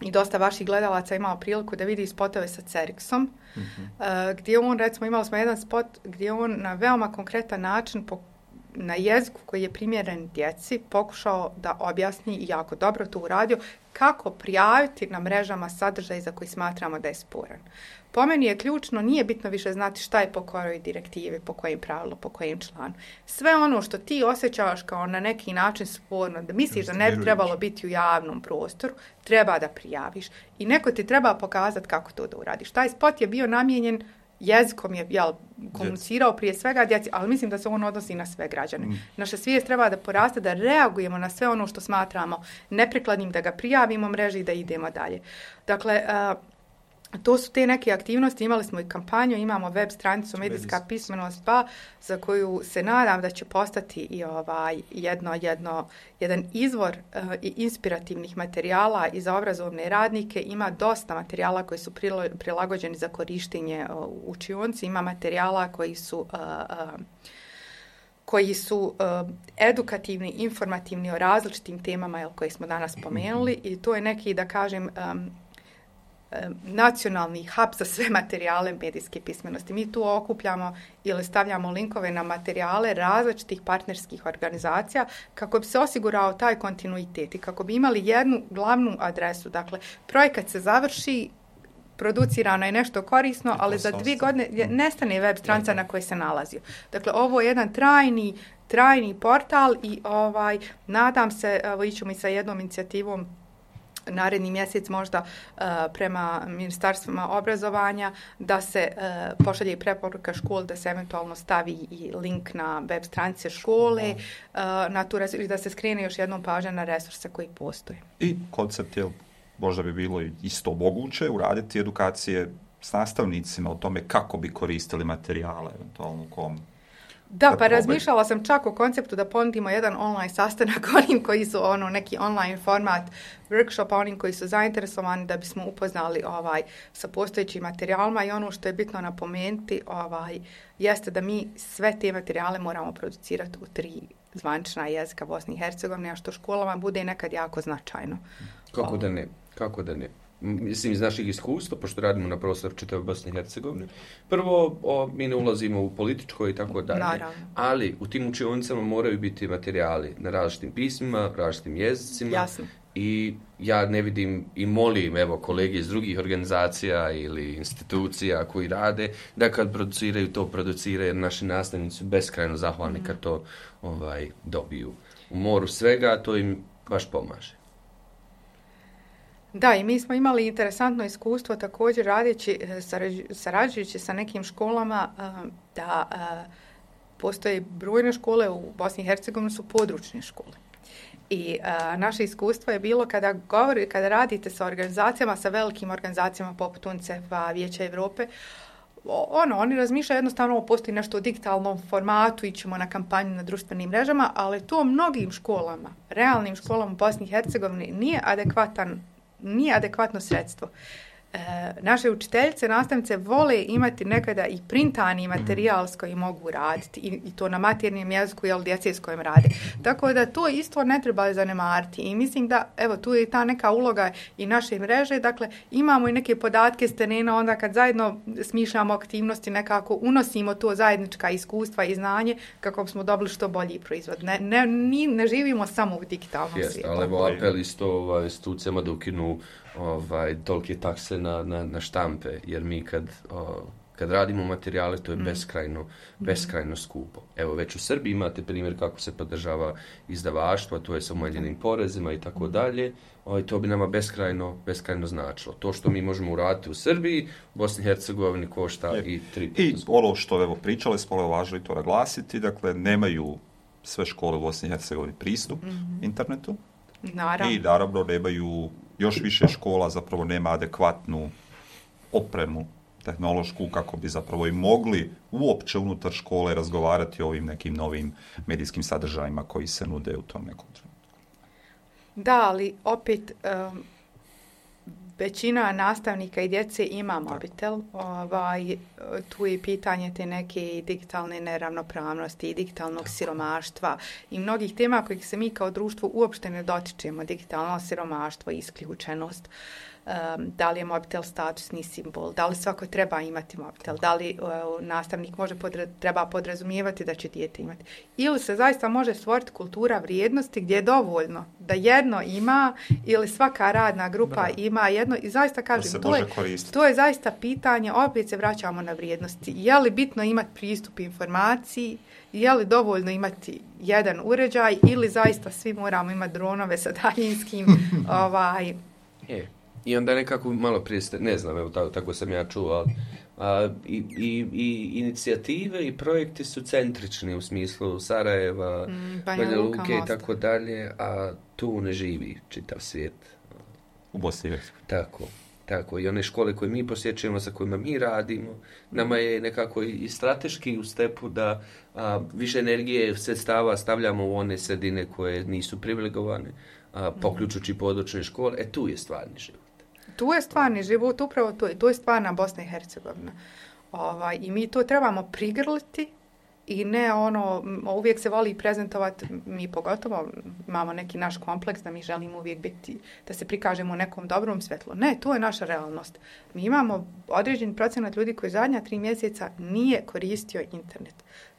i dosta vaših gledalaca imao priliku da vidi spotove sa Ceriksom, mm-hmm. uh, gdje on, recimo, imali smo jedan spot gdje on na veoma konkretan način po, na jeziku koji je primjeren djeci pokušao da objasni i jako dobro to uradio kako prijaviti na mrežama sadržaj za koji smatramo da je sporan. Po meni je ključno, nije bitno više znati šta je po kojoj direktivi, po kojim pravilu, po kojim članu. Sve ono što ti osjećavaš kao na neki način sporno, da misliš da ne bi trebalo biti u javnom prostoru, treba da prijaviš. I neko ti treba pokazati kako to da uradiš. Taj spot je bio namijenjen jezikom, je jel, komunicirao prije svega djeci, ali mislim da se on odnosi na sve građane. Mm. Naša svijest treba da poraste, da reagujemo na sve ono što smatramo neprikladnim, da ga prijavimo mreži i da idemo dalje. Dakle, uh, to su te neke aktivnosti, imali smo i kampanju, imamo web stranicu Medijska pismenost pa, za koju se nadam da će postati i ovaj jedno, jedno, jedan izvor uh, i inspirativnih materijala i za obrazovne radnike. Ima dosta materijala koji su prilo, prilagođeni za korištenje uh, u učionci, ima materijala koji su... Uh, uh, koji su uh, edukativni, informativni o različitim temama jel, koje smo danas spomenuli i to je neki, da kažem, um, nacionalni hub za sve materijale medijske pismenosti. Mi tu okupljamo ili stavljamo linkove na materijale različitih partnerskih organizacija kako bi se osigurao taj kontinuitet i kako bi imali jednu glavnu adresu. Dakle, projekat se završi, producirano je nešto korisno, ali za dvije godine nestane web stranica na kojoj se nalazio. Dakle, ovo je jedan trajni, trajni portal i ovaj, nadam se, evo, ićemo i sa jednom inicijativom naredni mjesec možda uh, prema ministarstvima obrazovanja da se uh, pošalje i preporuka škol da se eventualno stavi i link na web stranice škole uh, na tu resurs, i da se skrene još jednom pažnja na resurse koji postoje. I koncept je, možda bi bilo isto moguće uraditi edukacije s nastavnicima o tome kako bi koristili materijale, eventualno kom. Da, pa razmišljala sam čak o konceptu da ponudimo jedan online sastanak onim koji su ono neki online format workshopa, onim koji su zainteresovani da bismo upoznali ovaj sa postojećim materijalima i ono što je bitno napomenuti ovaj jeste da mi sve te materijale moramo producirati u tri zvanična jezika Bosne i Hercegovine, a što školama bude nekad jako značajno. Kako da ne? Kako da ne? Mislim, iz naših iskustva, pošto radimo na prostoru čitave Bosne i Hercegovine, prvo, o, mi ne ulazimo u političko i tako dalje, ali u tim učionicama moraju biti materijali na različitim pismima, različitim jezicima. Jasno. I ja ne vidim i molim, evo, kolege iz drugih organizacija ili institucija koji rade, da kad produciraju to, produciraju, jer naši nastavnici su beskrajno zahvalni mm. kad to ovaj, dobiju. U moru svega, to im baš pomaže. Da, i mi smo imali interesantno iskustvo također radeći, sarađujući sa nekim školama, da postoje brojne škole u Bosni i Hercegovini su područne škole. I a, naše iskustvo je bilo kada govori, kada radite sa organizacijama, sa velikim organizacijama poput UNICEF-a, Vijeća Europe, ono, oni razmišljaju jednostavno postoji nešto u digitalnom formatu, ićemo na kampanju na društvenim mrežama, ali to mnogim školama, realnim školama u Bosni i Hercegovini nije adekvatan nije adekvatno sredstvo. E, naše učiteljice, nastavnice vole imati nekada i printani materijal s kojim mogu raditi i, i to na maternjem jeziku, jel, djece s kojim rade. Tako da to isto ne treba zanemariti i mislim da, evo, tu je ta neka uloga i naše mreže, dakle, imamo i neke podatke s terena, onda kad zajedno smišljamo aktivnosti, nekako unosimo to zajednička iskustva i znanje kako bismo dobili što bolji proizvod. Ne, ne, ne, ne živimo samo u digitalnom Jest, svijetu. Ali evo apel isto ovaj, institucijama da ukinu ovaj, tolike takse na, na, na štampe, jer mi kad, o, kad radimo materijale, to je mm. beskrajno, beskrajno skupo. Evo, već u Srbiji imate primjer kako se podržava izdavaštvo, to je sa umanjenim porezima i tako dalje. Ovaj, to bi nama beskrajno, beskrajno značilo. To što mi možemo uraditi u Srbiji, u Bosni i Hercegovini košta je. i tri puta. I ono što, evo, pričali smo, je važno i to naglasiti, dakle, nemaju sve škole u Bosni i Hercegovini pristup mm-hmm. internetu. Naravno. I naravno nemaju, još više škola zapravo nema adekvatnu opremu tehnološku kako bi zapravo i mogli uopće unutar škole razgovarati o ovim nekim novim medijskim sadržajima koji se nude u tom nekom trenutku. Da, ali opet um, većina nastavnika i djece ima mobitel. Ovaj, tu je pitanje te neke digitalne neravnopravnosti i digitalnog siromaštva i mnogih tema kojih se mi kao društvo uopšte ne dotičemo. Digitalno siromaštvo, isključenost, um, da li je mobitel statusni simbol, da li svako treba imati mobitel, da li uh, nastavnik može podre, treba podrazumijevati da će dijete imati. Ili se zaista može stvoriti kultura vrijednosti gdje je dovoljno da jedno ima ili svaka radna grupa Bra. ima jedno i zaista kažem, to je, to je zaista pitanje, opet se vraćamo na vrijednosti. Je li bitno imati pristup informaciji, je li dovoljno imati jedan uređaj ili zaista svi moramo imati dronove sa daljinskim ovaj... Je. I onda nekako malo prije, ne znam, evo tako, tako sam ja čuo, ali a, i, i, i inicijative i projekti su centrični u smislu Sarajeva, mm, Banja Luke i tako dalje, a tu ne živi čitav svijet. U Bosni. Tako, tako. I one škole koje mi posjećujemo, sa kojima mi radimo, nama je nekako i strateški u stepu da a, više energije, sredstava stavljamo u one sredine koje nisu privilegovane, a, poključujući područne škole. E, tu je stvarni život. Tu je stvarni život, upravo to je, to je stvarna Bosna i Hercegovina. Ovaj, I mi to trebamo prigrliti i ne ono, uvijek se voli prezentovati, mi pogotovo imamo neki naš kompleks da mi želimo uvijek biti, da se prikažemo u nekom dobrom svjetlu. Ne, to je naša realnost. Mi imamo određen procenat ljudi koji zadnja tri mjeseca nije koristio internet.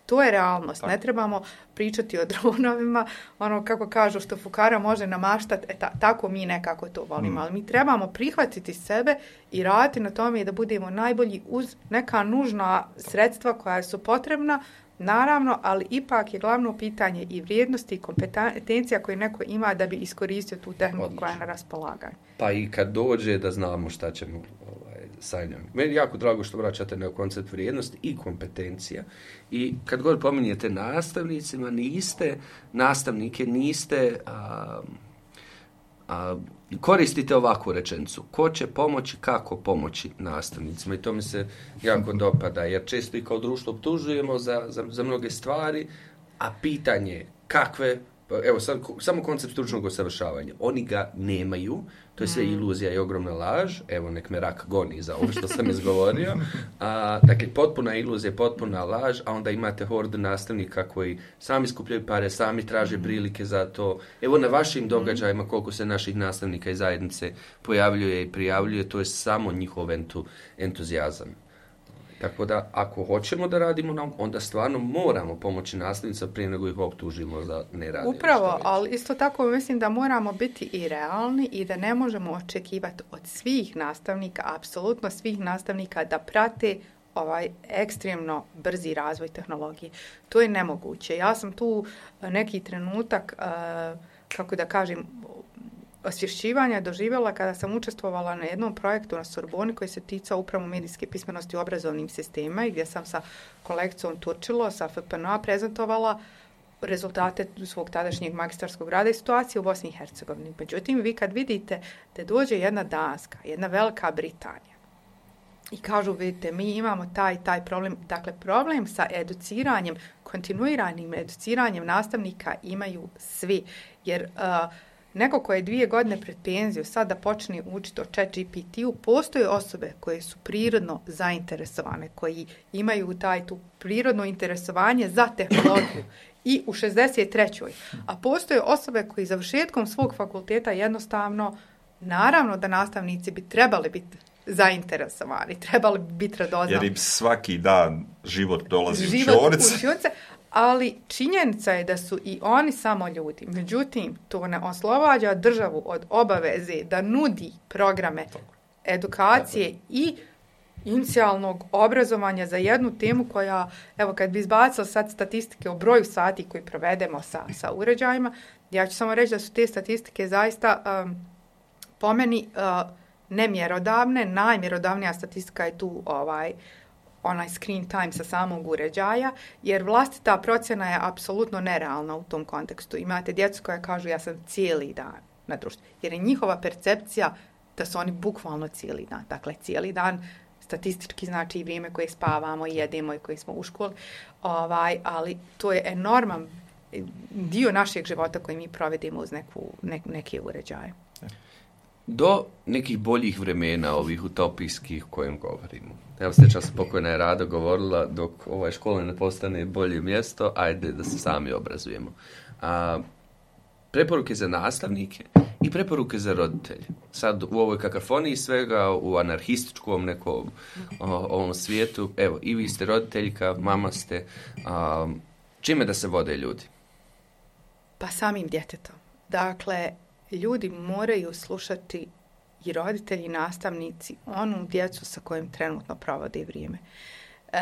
To je realnost. Tako. Ne trebamo pričati o dronovima, ono kako kažu što fukara može namaštati, e, ta, tako mi nekako to volimo. Mm. Ali mi trebamo prihvatiti sebe i raditi na tome da budemo najbolji uz neka nužna sredstva koja su potrebna, naravno, ali ipak je glavno pitanje i vrijednosti i kompetencija koje neko ima da bi iskoristio tu tehniku koja je na raspolaganju. Pa i kad dođe da znamo šta ćemo ovaj, sa njom. Meni je jako drago što vraćate na koncept vrijednosti i kompetencija. I kad god pominjete nastavnicima, niste nastavnike, niste... A, a, koristite ovakvu rečenicu. Ko će pomoći, kako pomoći nastavnicima? I to mi se jako dopada, jer često i kao društvo optužujemo za, za, za mnoge stvari, a pitanje je kakve, evo sad, samo koncept stručnog usavršavanja, oni ga nemaju, to je sve iluzija i ogromna laž, evo nek me rak goni za ovo što sam izgovorio, a, dakle potpuna iluzija, potpuna laž, a onda imate hordu nastavnika koji sami skupljaju pare, sami traže prilike za to. Evo na vašim događajima koliko se naših nastavnika i zajednice pojavljuje i prijavljuje, to je samo njihov entu, entuzijazam. Tako da, ako hoćemo da radimo nam, onda stvarno moramo pomoći nastavnicima prije nego ih optužimo da ne radimo. Upravo, ali isto tako mislim da moramo biti i realni i da ne možemo očekivati od svih nastavnika, apsolutno svih nastavnika, da prate ovaj ekstremno brzi razvoj tehnologije. To je nemoguće. Ja sam tu neki trenutak, kako da kažem, osvješćivanja doživjela kada sam učestvovala na jednom projektu na Sorboni koji se ticao upravo medijske pismenosti u obrazovnim sistemima i gdje sam sa kolekcijom Turčilo, sa F P N A prezentovala rezultate svog tadašnjeg magistarskog rada i situacije u Bosni i Hercegovini. Međutim, vi kad vidite da dođe jedna Danska, jedna Velika Britanija i kažu, vidite, mi imamo taj taj problem, dakle problem sa educiranjem, kontinuiranim educiranjem nastavnika imaju svi, jer uh, neko ko je dvije godine pred penziju sad da počne učiti o Chat G P T-u, postoje osobe koje su prirodno zainteresovane, koji imaju taj tu prirodno interesovanje za tehnologiju i u šezdeset trećoj A postoje osobe koji završetkom svog fakulteta jednostavno, naravno da nastavnici bi trebali biti zainteresovani, trebali bi biti radoznali. Jer im svaki dan život dolazi život u učionice. Ali činjenica je da su i oni samo ljudi. Međutim, to ne oslobađa državu od obaveze da nudi programe edukacije i inicijalnog obrazovanja za jednu temu koja, evo kad bi izbacila sad statistike o broju sati koji provedemo sa, sa uređajima, ja ću samo reći da su te statistike zaista um, po meni uh, nemjerodavne. Najmjerodavnija statistika je tu ovaj onaj screen time sa samog uređaja, jer vlastita procjena je apsolutno nerealna u tom kontekstu. Imate djecu koja kažu ja sam cijeli dan na društvu, jer je njihova percepcija da su oni bukvalno cijeli dan. Dakle, cijeli dan statistički znači i vrijeme koje spavamo i jedemo i koje smo u školi, ovaj, ali to je enorman dio našeg života koji mi provedemo uz neku, ne, neke uređaje. Do nekih boljih vremena, ovih utopijskih kojem govorimo. Evo, sjećam se, pokojna je Rado govorila, dok ovaj škola ne postane bolje mjesto, ajde da se sami obrazujemo. A, preporuke za nastavnike i preporuke za roditelje. Sad u ovoj kakafoniji svega, u anarhističkom nekom o, ovom svijetu, evo, i vi ste roditeljka, mama ste, a, čime da se vode ljudi? Pa samim djetetom. Dakle, ljudi moraju slušati i roditelji i nastavnici onu djecu sa kojim trenutno provode vrijeme. E,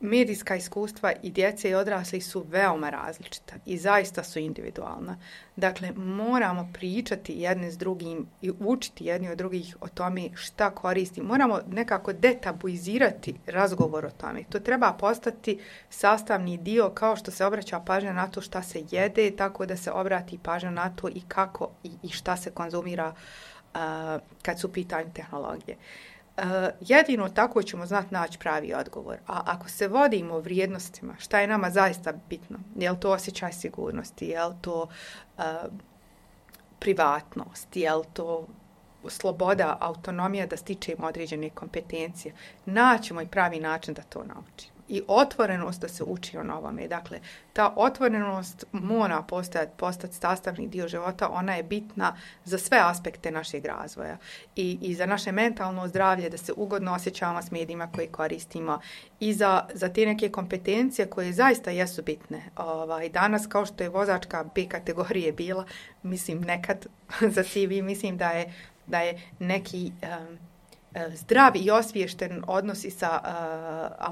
medijska iskustva i djece i odrasli su veoma različita i zaista su individualna. Dakle, moramo pričati jedne s drugim i učiti jedni od drugih o tome šta koristi. Moramo nekako detabuizirati razgovor o tome. To treba postati sastavni dio kao što se obraća pažnja na to šta se jede, tako da se obrati pažnja na to i kako i, i šta se konzumira uh, kad su u pitanju tehnologije. Uh, jedino tako ćemo znati naći pravi odgovor. A ako se vodimo vrijednostima, šta je nama zaista bitno? Je li to osjećaj sigurnosti? Je li to uh, privatnost? Je li to sloboda, autonomija da stičemo određene kompetencije. Naćemo i pravi način da to naučimo. I otvorenost da se uči o novome. Dakle, ta otvorenost mora postati, postati sastavni dio života, ona je bitna za sve aspekte našeg razvoja. I, i za naše mentalno zdravlje, da se ugodno osjećamo s medijima koje koristimo i za, za te neke kompetencije koje zaista jesu bitne. Ovaj, danas, kao što je vozačka B kategorije bila, mislim nekad za C V, mislim da je, da je neki... Um, zdrav i osviješten odnos i sa uh,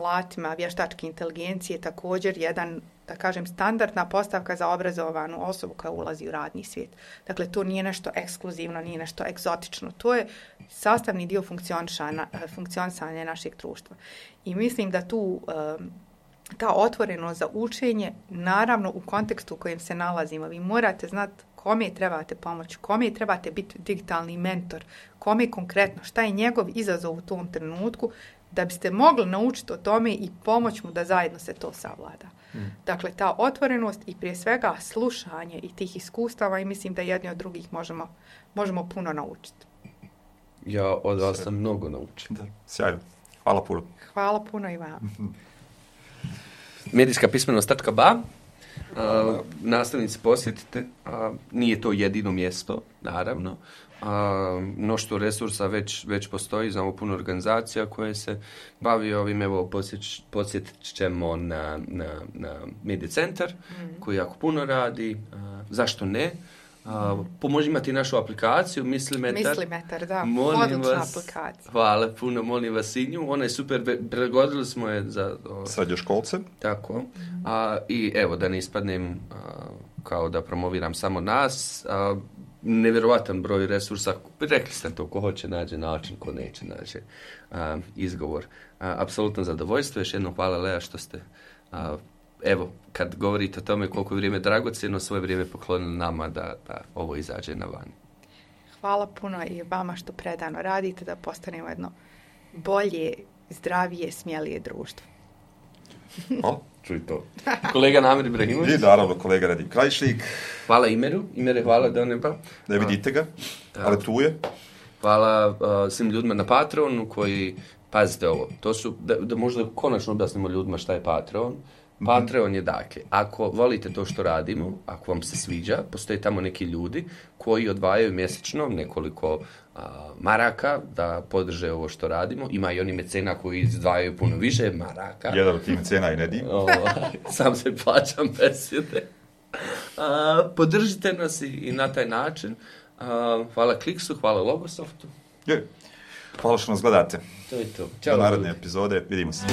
alatima vještačke inteligencije također jedan, da kažem, standardna postavka za obrazovanu osobu koja ulazi u radni svijet. Dakle, to nije nešto ekskluzivno, nije nešto egzotično. To je sastavni dio funkcionisanja našeg društva. I mislim da tu um, ta otvorenost za učenje, naravno u kontekstu u kojem se nalazimo, vi morate znati kome trebate pomoći, kome trebate biti digitalni mentor, kome konkretno, šta je njegov izazov u tom trenutku, da biste mogli naučiti o tome i pomoći mu da zajedno se to savlada. Mm. Dakle, ta otvorenost i prije svega slušanje i tih iskustava i mislim da jedni od drugih možemo, možemo puno naučiti. Ja od vas sam mnogo naučio. Da, sjajno. Hvala puno. Hvala puno i vam. Medijska pismenost točka ba. Uh, nastavnici posjetite, uh, nije to jedino mjesto, naravno. Uh, mnoštvo resursa već, već postoji, znamo puno organizacija koje se bavi ovim, evo posjet, posjetit ćemo na, na, na Media Centar, mm. koji jako puno radi, uh, zašto ne? Uh, pomoži imati našu aplikaciju Mislimetar. Mislimetar, da, odlična aplikacija. Hvala puno, molim vas i nju. Ona je super, prilagodili smo je za... O, srednjoškolce. Tako. A, I evo, da ne ispadnem a, kao da promoviram samo nas, a, nevjerovatan broj resursa, rekli ste to, ko hoće nađe način, ko neće nađe a, izgovor. A, apsolutno zadovoljstvo, još jednom hvala Lea što ste... A, evo, kad govorite o tome koliko je vrijeme dragocjeno, svoje vrijeme poklonili nama da, da ovo izađe na van. Hvala puno i vama što predano radite da postanemo jedno bolje, zdravije, smjelije društvo. O, čuj to. Kolega Namir Ibrahimović. I naravno kolega Radim Krajišnik. Hvala Imeru. Imere, hvala da ne pa. Ne vidite ga, ali tu je. Hvala uh, svim ljudima na Patreonu koji, pazite ovo, to su, da, da možda konačno objasnimo ljudima šta je Patreon. Patreon je dakle, ako volite to što radimo, ako vam se sviđa, postoje tamo neki ljudi koji odvajaju mjesečno nekoliko a, maraka da podrže ovo što radimo. Ima i oni mecena koji izdvajaju puno više maraka. Jedan od tih mecena i Nedim. Sam se plaćam besjede. A, podržite nas i, i na taj način. A, hvala Kliksu, hvala Logosoftu. Je. Hvala što nas gledate. To je to. Ćao. Do naredne epizode, vidimo se.